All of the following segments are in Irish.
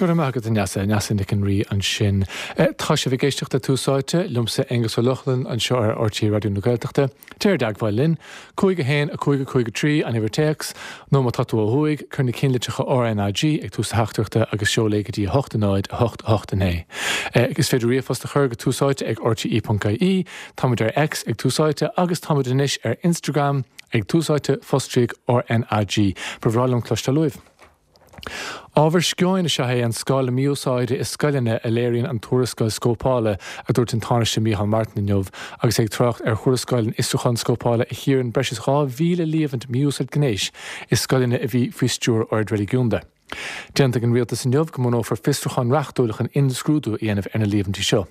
Go raibh maith agat, a Neasa. Neasa Nic an Rí ansin. Tá sibh ag éisteacht le Tús Áite, liomsa Aonghus Ó Lochlainn anseo ar RTÉ Raidió na Gaeltachta. Téir i dteagmháil linn, 5 1 5 5 3 an uimhir téacs, nó má tá tú ó thuaidh, cuir na cinnlitreacha RnaG ag tús do theachtaireachta agus seol é go dtí 8 0 8 8 9. Is féidir ríomhphost a chur go túsáite ag rte.ie, táimid ar X ag Tús Áite agus táimid anois ar Instagram ag Tús Áite fostríoc RnaG. Ba bhreá liom cloisteáil uaibh. Ábhar sceoin is ea é an scála mí-úsáide i scoileanna a léiríonn an tuarascáil scópála, a dúirt an Tánaiste Micheál Martin inniu agus é ag trácht ar thuarascáil an fhiosrúcháin scópála a chíorann breis is 2,000 líomhaint mí-úsáid gnéis i scoileanna a bhí faoi stiúir oird reiligiúnda. D'aontaigh an rialtas inniu go mbunófar fiosrúchán reachtúil chun imscrúdú a dhéanamh ar na líomhaintí seo.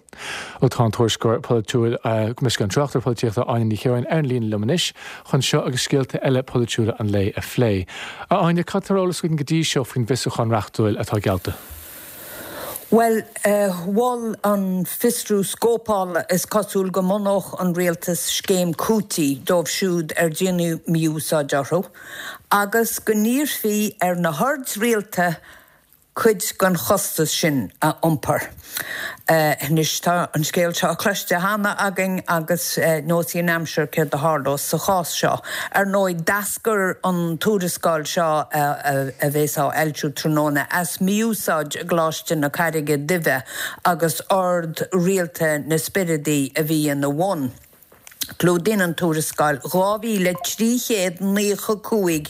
Ó tá an tuairisceoir polaitiúil, an tráchtaire polaitíochta Áine Ní Chiaráin ar an líne liom anois chun seo agus scéalta eile polaitiúla an lae a phlé. A Áine, cad tá ar eolas againn go dtí seo faoin bhfiosrúchán reachtúil atá geallta? Bhuel, mhol an fiosrú scópála, is cosúil, go mbunódh an rialtas scéim cúitimh dóibh siúd ar déanadh mí-úsáid orthu agus go n-iarrfaí ar na hoird rialta cuid den chostas sin a iompar. Anois tá an scéal seo cloiste cheana againn agus neosfaidh an aimsir céard a tharlós sa chás seo. Ar ndóigh, d'eascair an tuarascáil seo a bheas á fhoilsiú tráthnóna as mí-úsáid i gColáiste na Carraige Duibhe agus ord rialta na Spioradáí a bhí ina bhun. Clúdaíonn an tuarascáil 2,395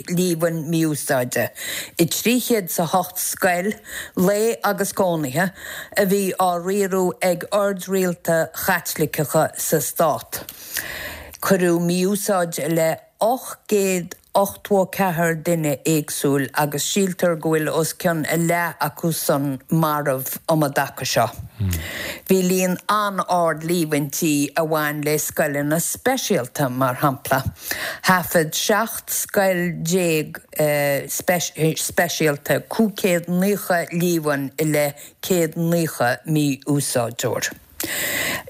líomhain mí-úsáide i 308 scoil lae agus cónaithe a bhí á riaradh ag oird rialta Chaitliceacha sa stát. Cuireadh mí-úsáid i leith 884 duine éagsúil agus síltear go bhfuil os cionn a leath acu san marbh um an dtaca seo. Bhí líon an-ard líomhaintí a bhain le scoileanna speisialta, mar shampla. Thaifead 17 scoil speisialta 590 líomhain i leith 190 mí-úsáideoir.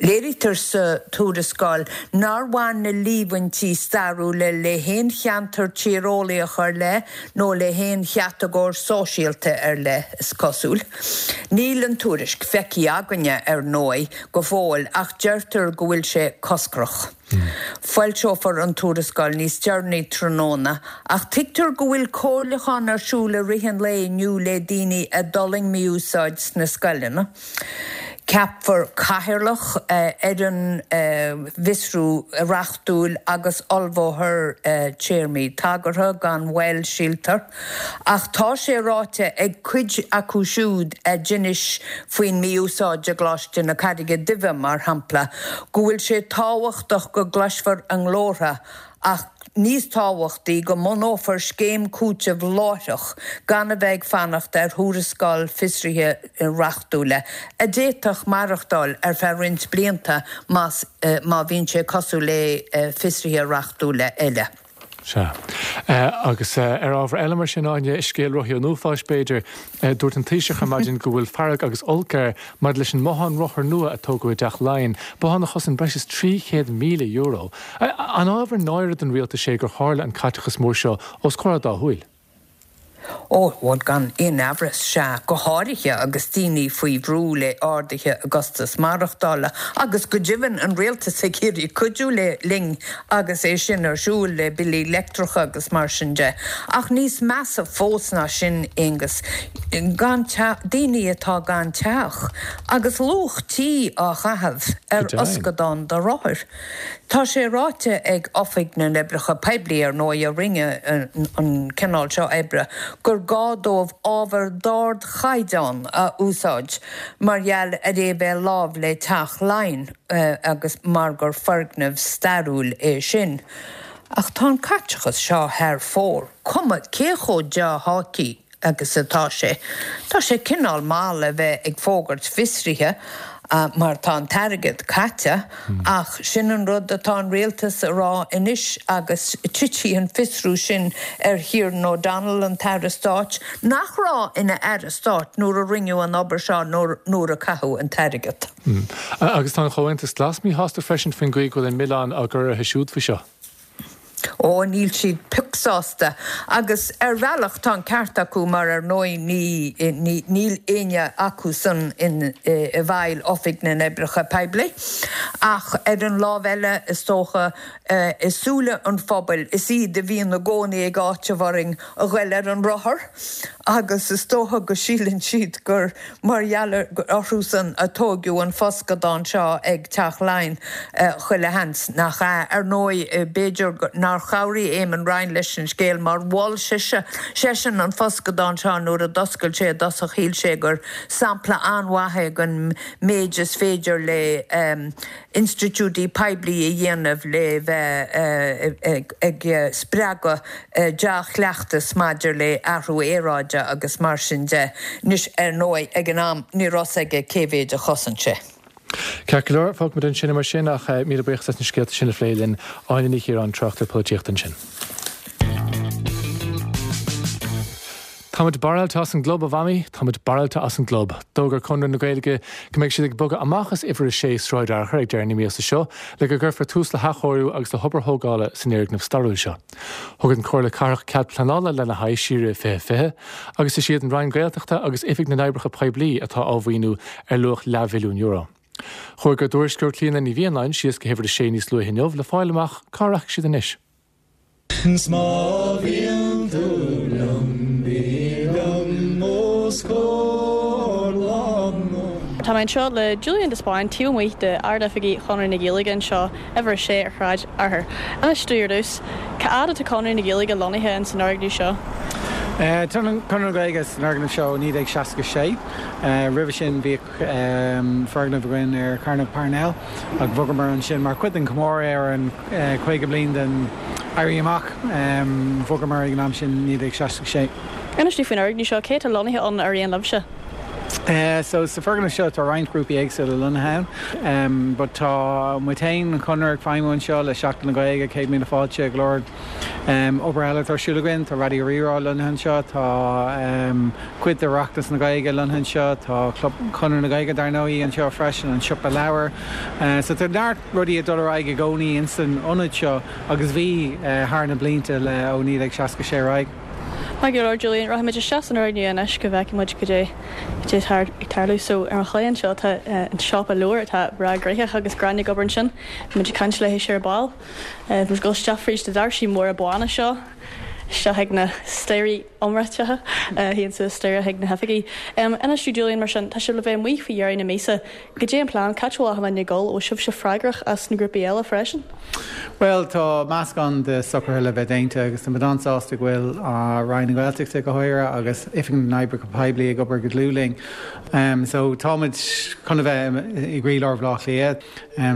Léirítear sa tuarascáil nár bhain na líomhaintí stairiúla le haon cheantar tíreolaíoch ar leith nó le haon chatagóir sóisialta ar leith, is cosúil. Níl an tuairisc feicthe againne, ar ndóigh, go fóill ach deirtear go bhfuil sé coscrach. Foilseofar an tuarascáil níos deireanaí tráthnóna ach tuigtear go bhfuil comhairliúchán ar siúl i rith an lae inniu le daoine a d'fhulaing mí-úsáid sna scoileanna. Ceapfar cathaoirleach ar an bhfiosrú reachtúil agus ullmhófar téarmaí tagartha gan mhoill, síltear. Ach tá sé ráite ag cuid acu siúd a d'inis faoin mí-úsáid i gColáiste na Carraige Duibhe, mar shampla, go bhfuil sé tábhachtach go gcloisfear a nglórtha ach níos tábhachtaí, go mbunófar scéim cúitimh láithreach gan a bheith ag fanacht ar thuarascáil fiosraithe reachtúla, a d'fhéadfadh maireachtáil ar feadh roinnt blianta más má bhíonn sé cosúil le fiosruithe reachtúla eile. Sea. Agus ar ábhar eile mar sin, Áine, scéal rothaí an uafáis, b'fhéidir, dúirt an Taoiseach ar maidin go bhfuil fearg agus olc air maidir leis an mbothán rothar nua a tógadh i dTeach Laighean, bothán a chosain breis is €300,000. An ábhar náire don rialtas é gur tharla an caiteachas mór seo os comhair a dá shúil? Ó, bhuel, gan aon amhras, sea, go háirithe agus daoine faoi bhrú le arduithe i gcostas maireachtála, agus go deimhin an rialtas ag iarraidh cuidiú linn agus é sin ar siúl le billí leictreacha agus mar sin de. Ach níos measa fós ná sin, Aonghus, gan teach, daoine atá gan teach, agus luach tí á chaitheamh ar fhoscadán do rothair. Tá sé ráite ag Oifig na nOibreacha Poiblí, ar ndóigh, a rinne an cineál seo oibre, gur gá dóibh ábhar d'ardchaighdeán a úsáid mar gheall ar é bheith láimh le Teach Laighean agus mar gur foirgneamh stairiúil é sin. Ach tá an caiteachas seo thar fóir, cuma cé chomh dea-tháite agus atá sé. Tá sé cineál mall a bheith ag fógairt fiosraithe mar tá an t-airgead caite ach sin an rud atá an rialtas a rá anois agus titfidh an fiosrú sin ar Kieran O'Donnell, an tAire Stáit, nach raibh ina Aire Stáit nuair a rinneadh an obair seo nuair a caitheadh an t-airgead. Agus tá an Comhaontas Glas míshásta freisin faoin gcaoi go bhfuil an milleán á gcur orthu siúd faoi seo. Ó, níl siad pioc. pioc sásta agus ar bhealach tá an ceart acu mar ar ndóigh ní níl éinne acusan i bhfeighil Oifig na nOibreacha Poiblí ach ar an lámh eile is dócha i súile an phobail is iad a bhíonn i gcónaí ag áiteamh orainn a ghoil ar an rothar agus is dócha go síleann siad gur mar gheall orthusan a tóigeadh an foscadán seo ag Teach Laighean chuile sheans nach ea. Ar ndóigh, b'fhéidir nár chabhraigh Eamon Ryan leis an scéal mar mhol sise, seisean an foscadán seo nuair a d'oscail sé i dtosach shíl sé gur sampla an-mhaith é den méid is féidir le institiúidí poiblí a dhéanamh le bheith ag spreagadh dea-chleachtas maidir le athrú aeráide agus mar sin de. Anois, ar ndóigh, ag an am ní raibh 's aige cé mhéid a chosain sé. Ceart go leor, fágfaimid ansin é mar sin ach míle buíochas as na scéalta sin a phlé linn. Áine Ní Chiaráin, tráchtaire polaitíochta ansin. Táimid barráilte as an gclub, a Mhamaí, táimid barráilte as an gclub. D'fhógair Conradh na Gaeilge go mbeidh siad ag bogadh amach as uimhir 6 Sráid Fhearchair ag deireadh na míosa seo le go gcuirfear tús le hathchóiriú agus le hobair thógála san fhoirgneamh stairiúil seo. Thug an Chomhairle Cathrach cead pleanála lena haghaidh siar i 2020 agus is iad an Roinn Gaeltachta agus Oifig na nOibreacha Poiblí atá á mhaoiniú ar luach leathmhilliún euro. Chuaigh ár dtuairisceoir Clíona Ní Mhianáin síos go huimhir 6 níos luaithe inniu le fáil amach cá rachaidh siad anois. 'S má bhíonn tú liom, bí liom os comhair Tá mé anseo le Julian de Spáinn taobh amuigh de Ard-Oifigí Chonradh na Gaeilge anseo, uimhir 6 ar Shráid Fhearchair. Inis domh ar dtús, cá fhad atá Conradh na Gaeilge lonnaithe ins an fhoirgneamh seo? Tá Conradh na Gaeilge san fhoirgneamh seo ó 1966. Roimhe sin bhíodh foirgneamh againn ar Chearnóg Parnell ach bhogamar ansin mar chuid den chomóradh ar an 50 bliain den Éirí Amach. Bhogamar ag an am sin, 1966. Inis domh faoin fhoirgneamh seo, cé atá lonnaithe ann ar aon libhse? So sa foirgneamh seo tá roinnt grúpaí éagsúla lonnaithe ann but tá muid féin, an Conradh, ag feidhmiú anseo le Seachtain na Gaeilge, 100,000 Fáilte, go leor obair eile atá ar siúl againn. Tá Raidió Rí-Rá lonnaithe anseo, tá cuid de Oireachtas na Gaeilge lonnaithe anseo, tá Club Chonradh na Gaeilge dar ndóigh anseo freisin, an Siopa Leabhar. So tá neart rudaí ag dul ar aghaidh i gcónaí ins an ionad seo agus bhí thar na blianta le ó 1966 ar aghaidh. Maith go leor Julian, rachaimid isteach san fhoirgneamh anois go bhfeicfidh muid cad é cad é atá ag tarlú. So ar mo chlé anseo tá an siopa leabhar atá breá gnoitheach agus Gráinne ag obair ansin. Beidh muid ag caint léi ar ball. Muid ag dul isteach fríd na doirsí móra bána seo, isteach ag na staighrí iomráiteacha a théann suas staighre chuig na hoifigí. Inis domh Julian, mar sin, tá sibh le bheith amuigh faoi dheireadh na míosa. Cad é an plean? Cá háit a bhfuil achan duine ag dul? Bhfuil sibhse freagrach as na grúpaí eile freisin? Bhuel, tá meascán de socruithe le bheith déanta agus tá muid an-sásta go bhfuil Roinn na Gaeltachta go háirithe agus Oifig na nOibreacha Poiblí ag obair go dlúth linn. So táimid chun a bheith i gcroílár Bhaile Átha Cliath.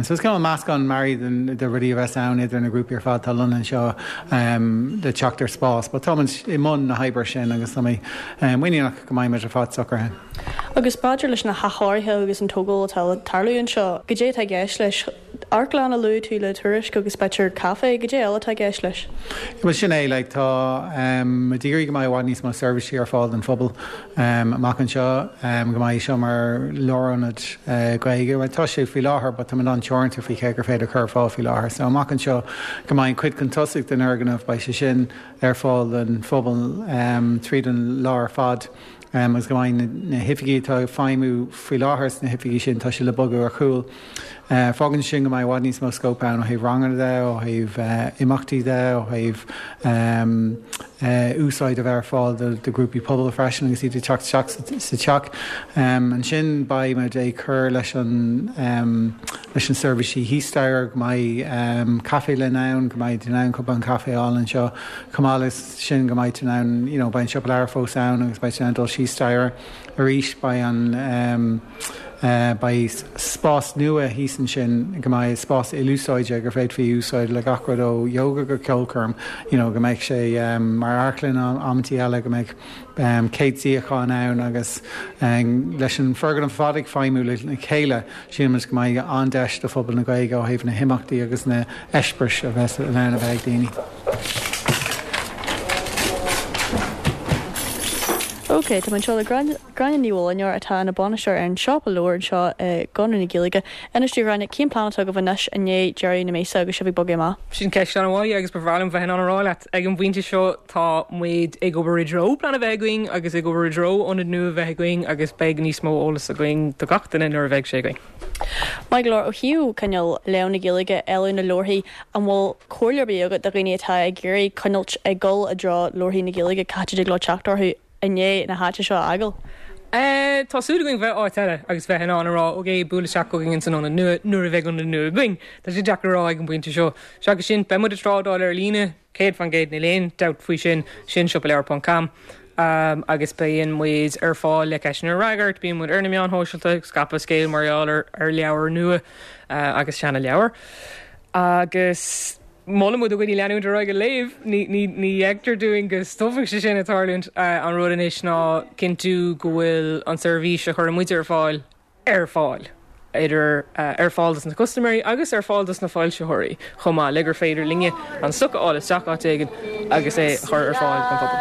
So is cineál meascán mearaí de rudaí a bheas ann idir na grúpaí ar fad atá lonnaithe anseo le teacht ar spás. But táimid i mbun na hoibre sin agus tá mé muiníneach go mbeidh muid ar fad socraithe. Agus maidir leis na hathchóirithe agus an tógáil atá le tarlú anseo, goidé atá i gceist leis? Amharclann a luaigh tú le Tuairisc agus b'fhéidir caife, goidé eile atá i gceist leis? Bhuel sin é, like tá muid ag iarraidh go mbeidh i bhfad níos mó seirbhísí ar fáil don phobal. Amach anseo, go mbeidh seo mar lárionad Gaeilge. Bhuel, tá sé faoi láthair but táimid an-teoranta faoi cé gur féidir cur ar fáil faoi láthair. So amach anseo, go mbeidh an chuid chun tosaigh den fhoirgneamh, beidh sé sin ar fáil don phobal tríd an lá ar fad agus go mbeidh na hoifigí atá ag feidhmiú faoi láthair sna hoifigí sin, tá siad le bogadh ar chúl. Fágann sin go mbeidh i bhfad níos mó scóip ann ó thaobh ranganna de, ó thaobh imeachtaí de, ó thaobh úsáid a bheith ar fáil do ghrúpaí pobail freisin agus iad ag teacht isteach sa teach. Ansin beidh muid ag cur leis an leis na seirbhísí thíos staighre, go mbeidh caife linn ann, go mbeidh tú in ann cupán caife a fháil anseo, chomh maith leis sin go mbeidh tú in ann, you know, beidh an siopa leabhar fós ann agus beidh tú in ann dul síos staighre arís, beidh an. Beidh spás nua thíos ansin go mbeidh spás ilúsáide gur féadfaí a úsáid le gach rud ó yoga go ceolchoirm, you know go mbeidh sé mar amharclann amantaí eile, go mbeidh 100 suíochán ann agus leis an foirgneamh ar fad ag feidhmiú le chéile, sílimid go mbeidh an-deis do phobal na Gaeilge ó thaobh na himeachtaí agus na heispéiris a bheas in ann a bheith ag daoine. Ok, tá mé anseo le Gráinne, Gráinne Ní Mhuilneoir atá ina bainisteoir ar an siopa leabhar anseo i gConradh na Gaeilge. Inis domh a Ghráinne, cén plean atá agaibh anois i ndiaidh deireadh na míosa agus sibh ag bogadh amach? Sin ceist an-mhaith agus ba bhreá liom bheith in ann a rá leat. Ag an bpointe seo tá muid ag obair i dtreo plean a bheith againn agus ag obair i dtreo ionad nua a bheith againn agus beidh níos mó eolas againn do gach duine nuair a bheidh sé againn. Maith go leor, ó thaobh cineál léamh na Gaeilge, éileamh na leabharthaí, an bhfuil comhairle ar bith agat do dhaoine atá ag iarraidh coinneáilt ag dul i dtreo leabharthaí na Gaeilge, cá háit a dtig leo teacht orthu i ndiaidh na háite seo a fhágáil? Tá súil againn bheith áit eile agus bheith in ann a rá ok, buail isteach chugainn ins an ionad nua nuair a bheidh ionad nua againn. Tá sé deacair a rá ag an bpointe seo. Seachas sin, beidh muid ag trádáil ar líne, 100% níl aon dabht faoi sin, sin siopaleabhar ponc com agus bíonn muid ar fáil le ceisteanna a fhreagairt, bíonn muid ar na meáin shóisialta ag scaipeadh scéil mar gheall ar ar leabhair nua agus seana leabhair agus molann muid do dhaoine leanúint ar aghaidh ag léamh, ní ní ní fheictear dúinn go stopfaidh sé sin ag tarlúint. An rud anois ná cinntiú go bhfuil an seirbhís a chuireann muid ar fáil ar fáil, idir ar fáil dos na custaiméirí agus ar fáil dos na foilsitheoirí chomh maith, le gur féidir linne an stoc a fháil isteach áit éigin agus é a chur ar fáil don phobal.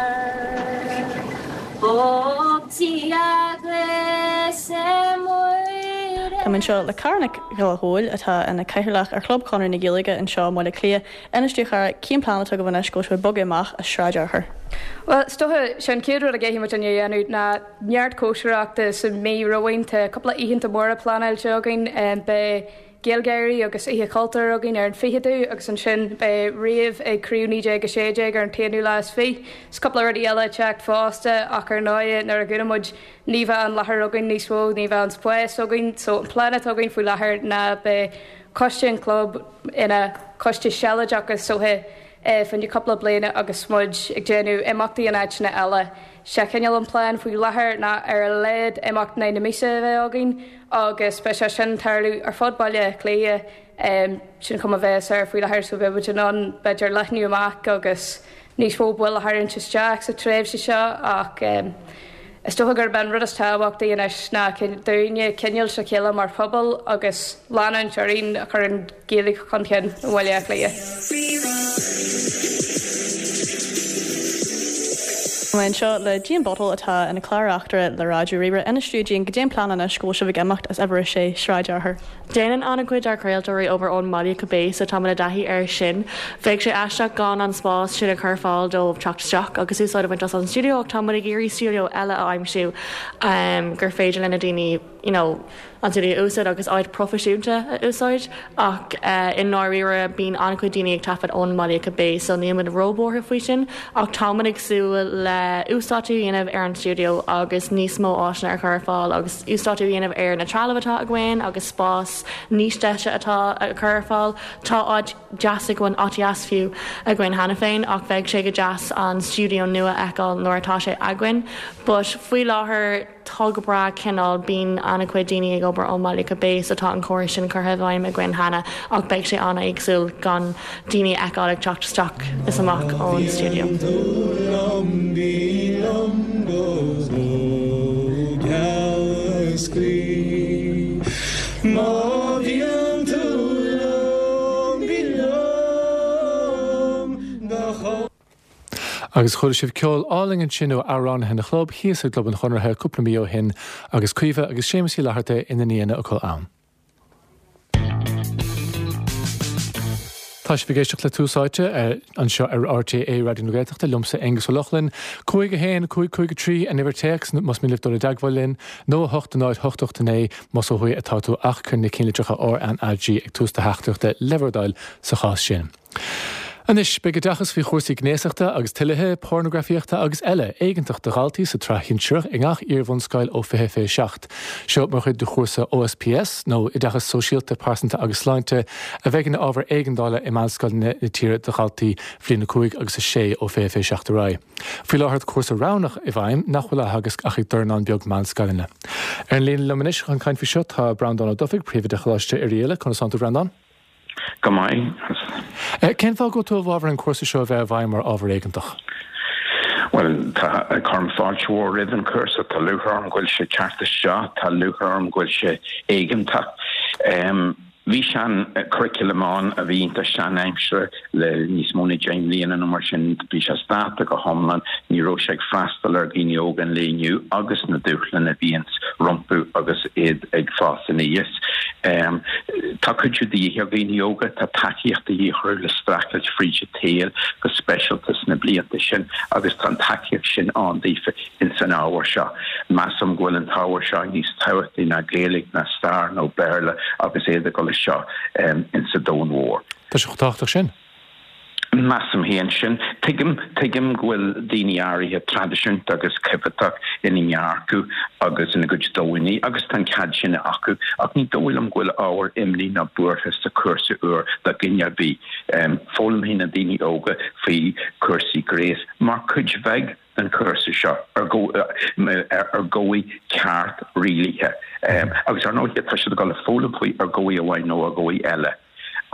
Tá mé anseo le Cara Nic Ghiolla Chóill, atá ina cathaoirleach ar Chlub Chonradh na Gaeilge anseo i mBaile Átha Cliath. Inis domh, a chara, cén plean atá agaibh anois go bhfuil sibh ag bogadh amach as Sráid Fhearchair? Bhuel, is dócha, sé an chéad rud a gcaithfidh muid a dhéanamh ná neart cóisireachta sa mí romhainn. Tá cúpla oícheanta móra pleanáilte againn. Beidh GaelGáirí agus Oíche Chultúir againn ar an 20ú agus ansin beidh Rave ag Craobh 1916 ar an t-aonú lá is fiche. Is cúpla rudaí eile ag teacht fosta ach ar ndóigh nuair a dhúnann muid ní bheidh an láthair againn níos mó, ní bheidh an spás againn. So an plean atá againn faoi láthair ná beidh coiste an chlub ina choiste sealadach is dócha fá choinne cúpla bliana agus muid ag déanamh imeachtaí in áiteanna eile. Sé cineál an plean faoi láthair ná ar a laghad imeacht in aghaidh na míosa a bheith againn agus beidh sé sin ag tarlú ar fud Bhaile Átha Cliath. Sin an chuma a bheas air faoi láthair so beidh muid in ann b'fhéidir leathnú amach agus níos mó baill a tharraingt isteach sa tréimhse seo ach is dócha gurb é an rud is tábhachtaí anois ná dúinne coinneáil le chéile mar phobal agus leanúint orainn a chur an Ghaeilge chun cinn i mBaile Átha Cliath. Tá mé anseo le Jane Buttle atá ina clár-reachtaire le Raidió Rí-Rá. Inis domh, Jane, goidé an plean anois go bhfuil sibh ag imeacht as uimhir 6 Sráid Fhearchair. Déanann an-chuid dár craoltóirí obair ón mbaile cibé so táimid i dtaithí air sin. Bheadh sé aisteach gan an spás sin a chur ar fáil dóibh teacht isteach agus úsáid a bhaint as an stiúideo ach tá muid ag iarraidh stiúideo eile a aimsiú gur féidir le na daoine you know an stiúideo a úsáid agus áit proifisiúnta a úsáid ach i ndáiríre bíonn an-chuid daoine ag taifead ón mbaile cibé so níl muid róbhuartha faoi sin ach táimid ag súil le uasdátú a dhéanamh ar an stiúideo agus níos mó áiseanna a chur ar fáil agus uasdátú a dhéanamh ar na trealamh atá againn agus spás níos deise atá a chur ar fáil. Tá áit deas againn, áit dheas fiú, againn cheana féin ach bheadh sé go deas an stiúideo nua a fheiceáil nuair atá sé againn but faoi láthair tá go breá cineál, bíonn an-chuid daoine ag obair ón mbaile cibé so tá an córas sin curtha i bhfeidhm againn cheana ach beidh sé an-éagsúil gan daoine a fheiceáil ag teacht isteach is amach ón stiúideo. Agus chuala sibh ceol álainn ansin ó amhránaithe na chlub thíos i gClub an Chonartha cúpla mí ó shin agus Caoimhe agus Séamus Uí Fhlatharta ina n-aíonna acu ann. Tá sibh ag éisteacht le Tús Áite anseo ar RTÉ Raidió na Gaeltachta, liomsa Aengus Ó Lochlainn. 5 1 5 5 3 an uimhir téacs más mian libh dul i dteagmháil linn, nó 8 0 8 8 9 más ó thuaidh atá tú ach cuir na cinnlitreacha RnaG ag tús do theachtaireachta le bhur dtoil sa chás sin. Anois, beidh oideachas faoi chúrsaí gnéasachta agus toilithe, pornagrafaíochta agus eile, éigeantach do dhaltaí sa tsraith shinsearach i ngach iar-bhunscoil ó 2027. Seo mar chuid de chúrsa OSPS, nó Oideachas Sóisialta, Pearsanta agus Sláinte, a bheidh ina ábhar éigeandála i meánscoileanna na tíre do dhaltaí Bhliain 5 agus 6 ó 2027 ar aghaidh. Faoi láthair tá cúrsa roghnach i bhfeidhm nach bhfuil á theagasc ach ag dornán beag meánscoileanna. Ar an líne liom anois chun caint faoi seo tá Breandán Ó Dufaigh, Príomhoide Choláiste Oirialla. Conas tánn tú, a Bhreandáin? Go maith. Cén fáth go bhfuil tú i bhfabhar an cúrsa seo a bheith i bhfeidhm mar ábhar éigeantach? Bhuel, tá, cuirim fáilte mhór roimh an chúrsa. Tá lúcháir orm go bhfuil sé ag teacht isteach. Tá lúcháir orm go bhfuil sé éigeantach. Bhí sean curriculum ann a bhí iontach sean-aimseartha le níos mó ná 10 mbliana nó mar sin. Bhí sé as dáta go hiomlán, ní raibh sé ag freastal ar dhaoine óga an lae inniu agus na dúshláin a bhíonns rompu agus iad ag fás aníos. Tá cuidiú de dhíth ar dhaoine óga, tá tacaíocht de dhíth orthu le streachailt fríd an tsaol go speisialta sna blianta sin agus tá an tacaíocht sin ann daofa. ins an ábhar seo. Measaim go bhfuil an t-ábhar seo níos tábhachtaí ná Gaeilge ná stair nó Béarla agus iad ag dul isteach ins an domhan mhór. Tá sé chomh tábhachtach sin. Measaim féin sin. Tuigim, tuigim go bhfuil daoine áirithe traidisiúnta agus coimheatach ina ndearcadh agus ina gcuid dóigheanna agus tá an cead sin acu ach ní dóigh liom go bhfuil ábhar imní ná buartha sa chúrsa úr do dhuine ar bith. Foghlaimfidh na daoine óga faoi chúrsaí gnéis mar chuid bheag den chúrsa seo ar dhóigh ceart rialaithe. Agus ar ndóigh tá siad ag dul a foghlaim faoi ar dhóigh amháin nó ar dhóigh eile.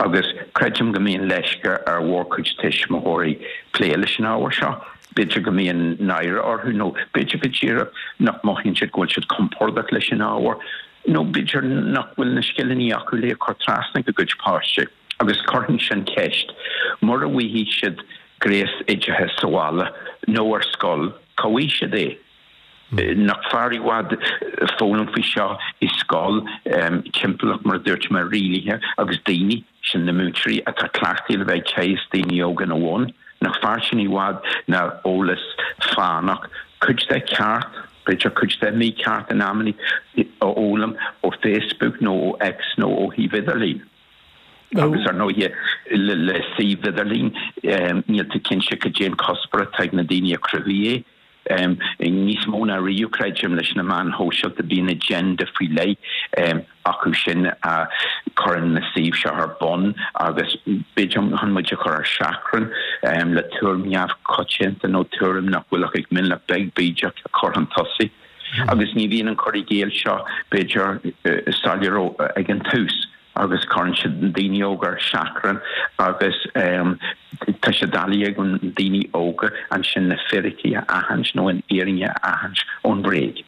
Agus creidim go mbíonn leisce ar mhórchuid tuismitheoirí plé leis an ábhar seo. B'fhéidir go mbíonn náire orthu nó b'fhéidir go díreach nach mothaíonn siad go bhfuil siad compordach leis an ábhar nó b'fhéidir nach bhfuil na scileanna acu le cur trasna go gcuid páistí. Agus cuirfinn sin ceist, mura bhfaighidh siad gnéasoideachas sa bhaile nó ar scoil, cá bhfaighidh siad é? Nach fearr i bhfad foghlaim faoi seo i scoil, timpeallacht, mar a dúirt mé, rialaithe agus daoine, sin na múinteoirí, atá cleachtaithe le bheith ag teagasc daoine óga ina bhun? Nach fearr sin i bhfad ná eolas fánach, cuid de ceart, b'fhéidir cuid de mícheart in amannaí, a fhoghlaim ó Facebook nó ó X nó ó shuíomh idirlín? Agus ar ndóighe, le suíomh idirlín, níl tú cinnte cad é an cuspóir atá ag na daoine a chruthaigh é. Níos mó ná riamh, creidim, leis na meáin shóisialta, bíonn agenda faoi leith acu sin a chuireann na suímh seo ar bun agus b'fhéidir chun muid a chur ar seachrán le tuairim neamhchoitianta nó tuairim nach bhfuil ach ag mionlach beag bídeach a chur chun tosaigh. Agus ní bhíonn an cur i gcéill seo, b'fhéidir, soiléir ag an tús. agus cuireann siad na daoine óga ar seachrán agus tá sé doiligh ag na daoine óga ansin na fíricí a aithint nó an fhírinne a aithint ón bhréig.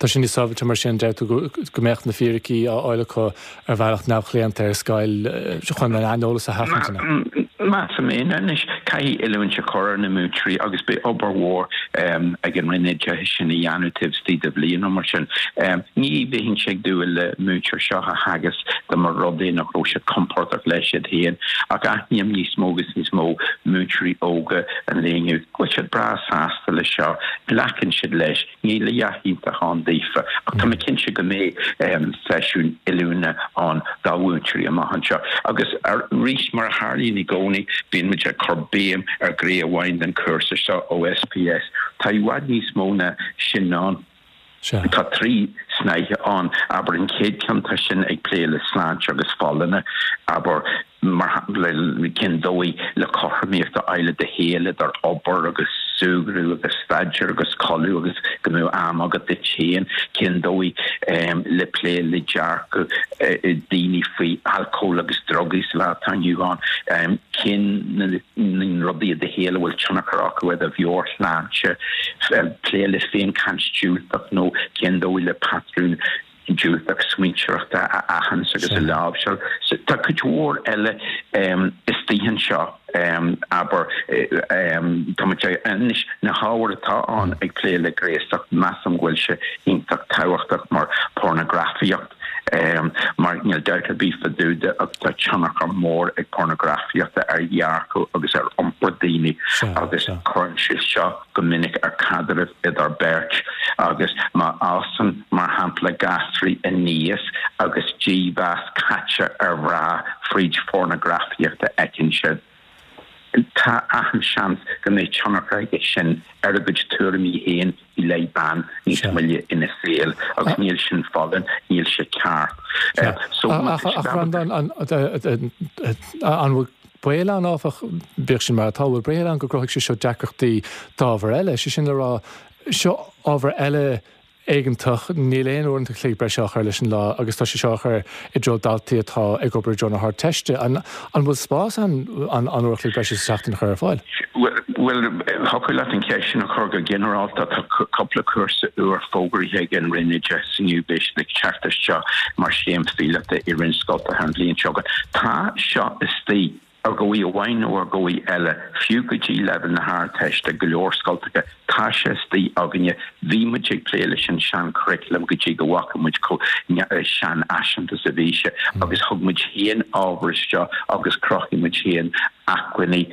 Tá sé níos sábháilte mar sin, deir tú, go mbeadh na fíricí á fháil acu ar bhealach neamhchlaonta ar scoil chun an aineolas a sheachaint, an ea? Measaim é. Anois, caithfidh oiliúint a chur ar na múinteoirí agus beidh obair mhór ag an Roinn Oideachais sin a dhéanamh taobh istigh de bhliain nó mar sin. Ní bheinnse ag dúil le múinteoir seo a theagasc dá mba rud é nach raibh siad compordach leis iad féin, ach aithním níos mó agus níos mó múinteoirí óga an lae inniu go bhfuil siad breá sásta leis seo, glacann siad leis. Níl a dhath iontach ann daofa, ach tá mé cinnte go mbeidh seisiún oiliúna ann do mhúinteoirí amach anseo. Agus arís, mar a tharlaíonn i gcónaí, bíonn muid ag cur béim ar ghné amháin den chúrsa seo, OSPS. Tá i bhfad níos mó ná sin ann. Tá 3 snáithe ann. Abair, an chéad cheann, tá sin ag plé le sláinte agus folláine, abair, mar shampla, cén dóigh le cothromaíocht a fháil i do shaol idir obair agus súgradh agus staidéar agus codladh agus go mbeadh am agat duit féin, cén dóigh le plé le dearcadh daoine faoi alcól agus drugaí sa lá atá inniu ann, cén na rudaí i do shaol a bhfuil tionchar acu ar do mheabhairshláinte, plé le féinchaint diúltach nó cén dóigh le patrún diúltach smaointeoireachta a aithint agus a láimhseáil. Tá cuid mhór eile istigh anseo, abair, tá muid anois, na hábhair atá ann ag plé le gnéasacht, measaim go bhfuil sé iontach tábhachtach mar pornagrafaíocht, mar níl dabht ar bith fá dtaobh de ach tá tionchar mór ag pornagrafaíocht ar dhearcadh agus ar iompar daoine agus cuireann sé seo go minic ar chaidrimh idir beirt agus má fhásann, mar shampla, gasraí aníos agus dímheas caite ar mhná fríd phornagrafaíocht a fheiceann siad, tá achan seans go mbeidh tionchar aige sin ar a gcuid tuairimí féin i leith ban níos moille ina saol agus níl sin folláin, níl sé ceart. So, má tá siad ábalta. An bhfuil Baol ann, áfach, bíodh sin mar atá, bhfuil baol ann go gcruthóidh sé seo deacrachtaí d'ábhair eile, sé sin le rá, seo ábhar eile éigeantach, níl aon uaireanta an chloig breise á chur leis an lá agus tá sé seo á chur i dtreo daltaí atá ag obair i dtreo na hArdteiste. An bhfuil spás ann an uair an chloig breise sa tseachtain a chur ar fáil? Bhuel, Bhuel, thiocfadh leat an cheist sin a chur go ginearálta. Tá cúpla cúrsa úr fógraithe ag an Roinn Oideachais inniu, beidh siad ag teacht isteach mar scéim phíolóta i roinnt scoltacha an bhliain seo chugainn. Tá seo istigh, ar dhóigh amháin nó ar dhóigh eile, fiú go dtí leibhéal na hArdteiste, go leor scoltacha, tá sé istigh againne. Bhí muid ag plé leis an sean-churriculum go dtí go bhfaca muid chomh seanfhaiseanta is a bhí sé agus thug muid féin ábhar isteach agus chruthaigh muid féin acmhainní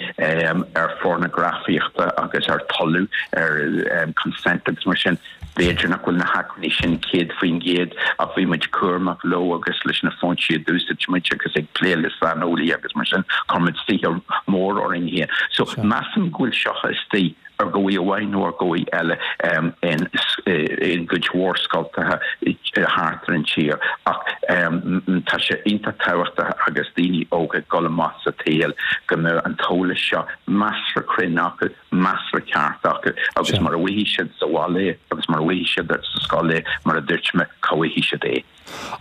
ar phornagrafaíochta agus ar toiliú, ar consent agus mar sin. B'fhéidir nach bhfuil na hacmhainní sin 100% ach bhí muid cúramach leo agus leis na foinsí a d'úsáid muid agus ag plé le saineolaithe agus mar sin, chuir muid saothar mór orainn féin. So measaim go bhfuil seo istigh. ar dhóigh amháin nó ar dhóigh eile in gcuid mhór scoltacha thart ar an tír ach tá sé iontach tábhachtach agus daoine óga ag dul amach sa tsaol go mbeadh an t-eolas seo measartha cruinn acu, measartha ceart acu agus mura bhfaighidh siad sa bhaile é agus mura bhfaighidh siad sa scoil é, mar a dúirt mé, cá bhfaighidh siad é?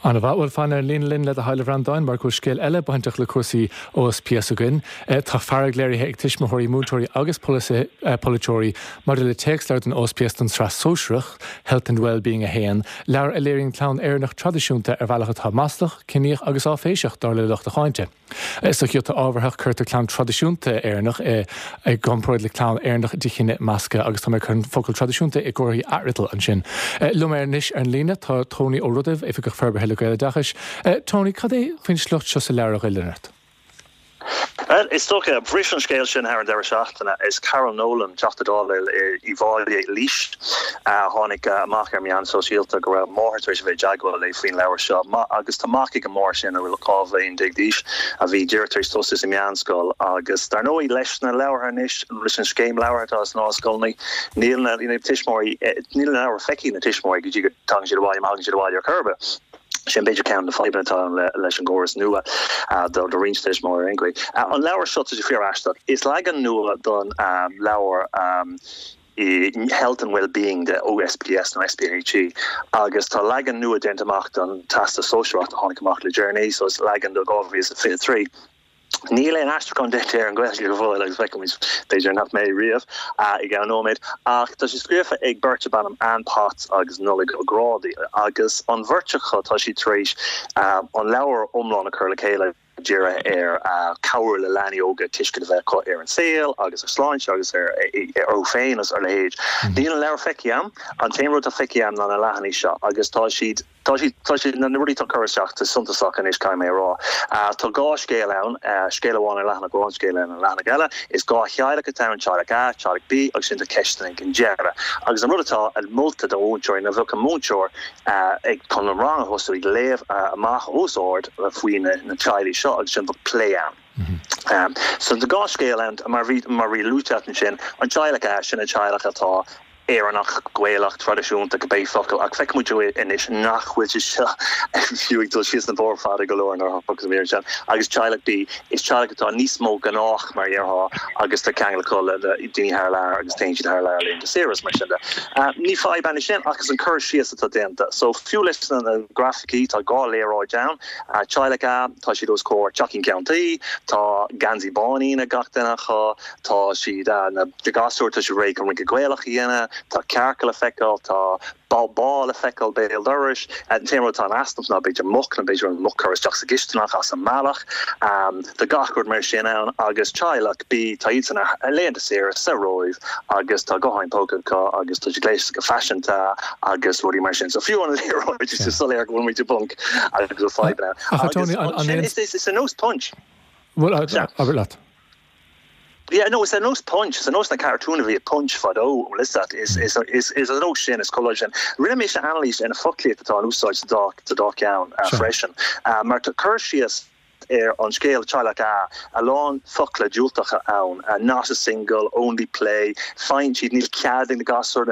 An-mhaith. Bhuel, fan ar an líne linn le do thoil, a Bhreandáin, mar go bhfuil scéal eile bainteach le cúrsaí OSPS againn. Tá fearg léirithe ag tuismitheoirí, múinteoirí agus polaiteoirí maidir le téacsleabhar don OSPS don tSraith Sóisearach, Health and Wellbeing 1, leabhar a léiríonn clann Éireannach traidisiúnta ar bhealach atá maslach, ciníoch agus áiféiseach, dar le lucht a cháinte. Sa ghiota ábharthach, cuirtear clann traidisiúnta Éireannach i gcomparáid le clann Éireannach de chine measctha agus tá mé ag cur an focal traidisiúnta i gcomharthaí athfhriotail ansin. Liom anois ar an líne tá Tony Ó Rudaimh, Oifigeach Forbartha le Gaeloideachas. Tony, cad é faoin sliocht seo sa leabhar a ghoilleann ort? Bhuel, is dócha, bhris an scéal sin thar an deireadh seachtaine. Is Carol Nolan, Teachta Dála Uíbh Fhailí, Laois, a tháinig amach ar meáin sóisialta go raibh máthair tar éis a bheith i dteagmháil léi faoin leabhar seo. Agus tá mac ag an máthair sin, a bhfuil 12 bhliain d'aois, a bhí díreach tar éis tosú sa meánscoil. Agus dar ndóigh, leis na leabhartha anois, leis an scéim leabhartha atá sna scoileanna, níl na tuismitheoirí, níl na leabhair feicthe ag na tuismitheoirí go dtí go dtagann siad abhaile, má thagann siad abhaile ar chor ar bith. Sin b'fhéidir ceann de na fadhbanna atá ann leis an gcóras nua do roinnt tuismitheoirí ar aon chaoi. An leabhar seo, tá sé fíor-aisteach. Is leagan nua don leabhar Health and Wellbeing de OSPS nó SPHE agus tá leagan nua déanta amach don Teastas Sóisearach a tháinig amach le deireanaí, so is leagan do 2023. Níl aon aistriúchán déanta ar an Ghaeilge go fóill agus feicfimid, b'fhéidir nach mbeidh riamh, i gceann nóiméad. Ach tá sé scríofa ag beirt darb ainm Anne Potts agus Nollaig Ó Grádaigh agus an bheirt acu tá siad tar éis an leabhar iomlán a chur le chéile dírithe ar cabhrú le leanaí óga tuiscint a bheith acu ar an saol agus ar sláinte agus ar orthu féin agus a leithéid. Níl an leabhar feicthe agam. An t-aon rud atá feicthe agam ná na leathanaigh seo agus tá siad Tá siad, tá siad, na rudaí atá curtha isteach, tá suntasach anois, caithfidh mé a rá. Tá dhá scéal ann, scéal amháin ar leathanach amháin, scéal eile ar leathanach eile. Is dhá theaghlach atá ann, teaghlach A, teaghlach B, agus ansin tá ceisteanna ag an deireadh. Agus an rud atá molta do mhúinteoirí ná bheadh an múinteoir ag, chun an rang a thosú, ag léamh amach os ard faoi na teaghlaigh seo agus ansin bheadh plé ann. So tá dhá scéal ann, mar bhí, mar bhí luaite agat ansin, an teaghlach A, sin an teaghlach atá, Éireannach, Gaelach, traidisiúnta, cibé focal, ach feicfidh muid anois nach bhfuil sé seo fiú ag dul síos an bóthar fada go leor nuair a thiocfas an mhír sin. Agus teaghlach B, is teaghlach atá níos mó gnách mar a déarfá agus tá ceangal acu le daoine thar lear agus téann siad thar lear laethanta saoire is mar sin de. Ní fadhb é sin ach is an cur síos atá déanta. So fiú leis na grafaicí, tá dhá léaráid ann, teaghlach A, tá siad os comhair teachín ceann tuí, tá geansaí báinín ag gach duine acu, Tá siad, na gasúir, tá siad réidh chun rince Gaelach a dhéanamh, tá cearca le feiceáil, tá bá le feiceáil béal dorais. An t-aon rud atá in easnamh ná b'fhéidir muc, nó b'fhéidir an muc curtha isteach sa gcisteanach as an mbealach. Tá gach rud mar sin ann agus teaghlach B, tá iadsan ar laethanta saoire sa Róimh agus tá gutháin póca acu agus tá siad gléasta go faiseanta agus rudaí mar sin. So fiú an léaráid, is soiléir go bhfuil muid i bponc agus go bhfuil fadhbanna ann. Agus ansin is ar nós Punch. Bhuel, abair leat. Yeah, no, is ar nós Punch, is ar nós na cartúin a bhí i Punch fadó, bhfuil fhios a't, is, is, is, is ar nós sin, is collage sin. Rinne mise anailís ar na foclaíocht atá in úsáid sa dá, sa dá cheann freisin, mar tá cur síos ar an scéal Teaghlach A, a lán focla diúltacha ann, not a single, only play, faigheann siad, níl cead ag na gasúir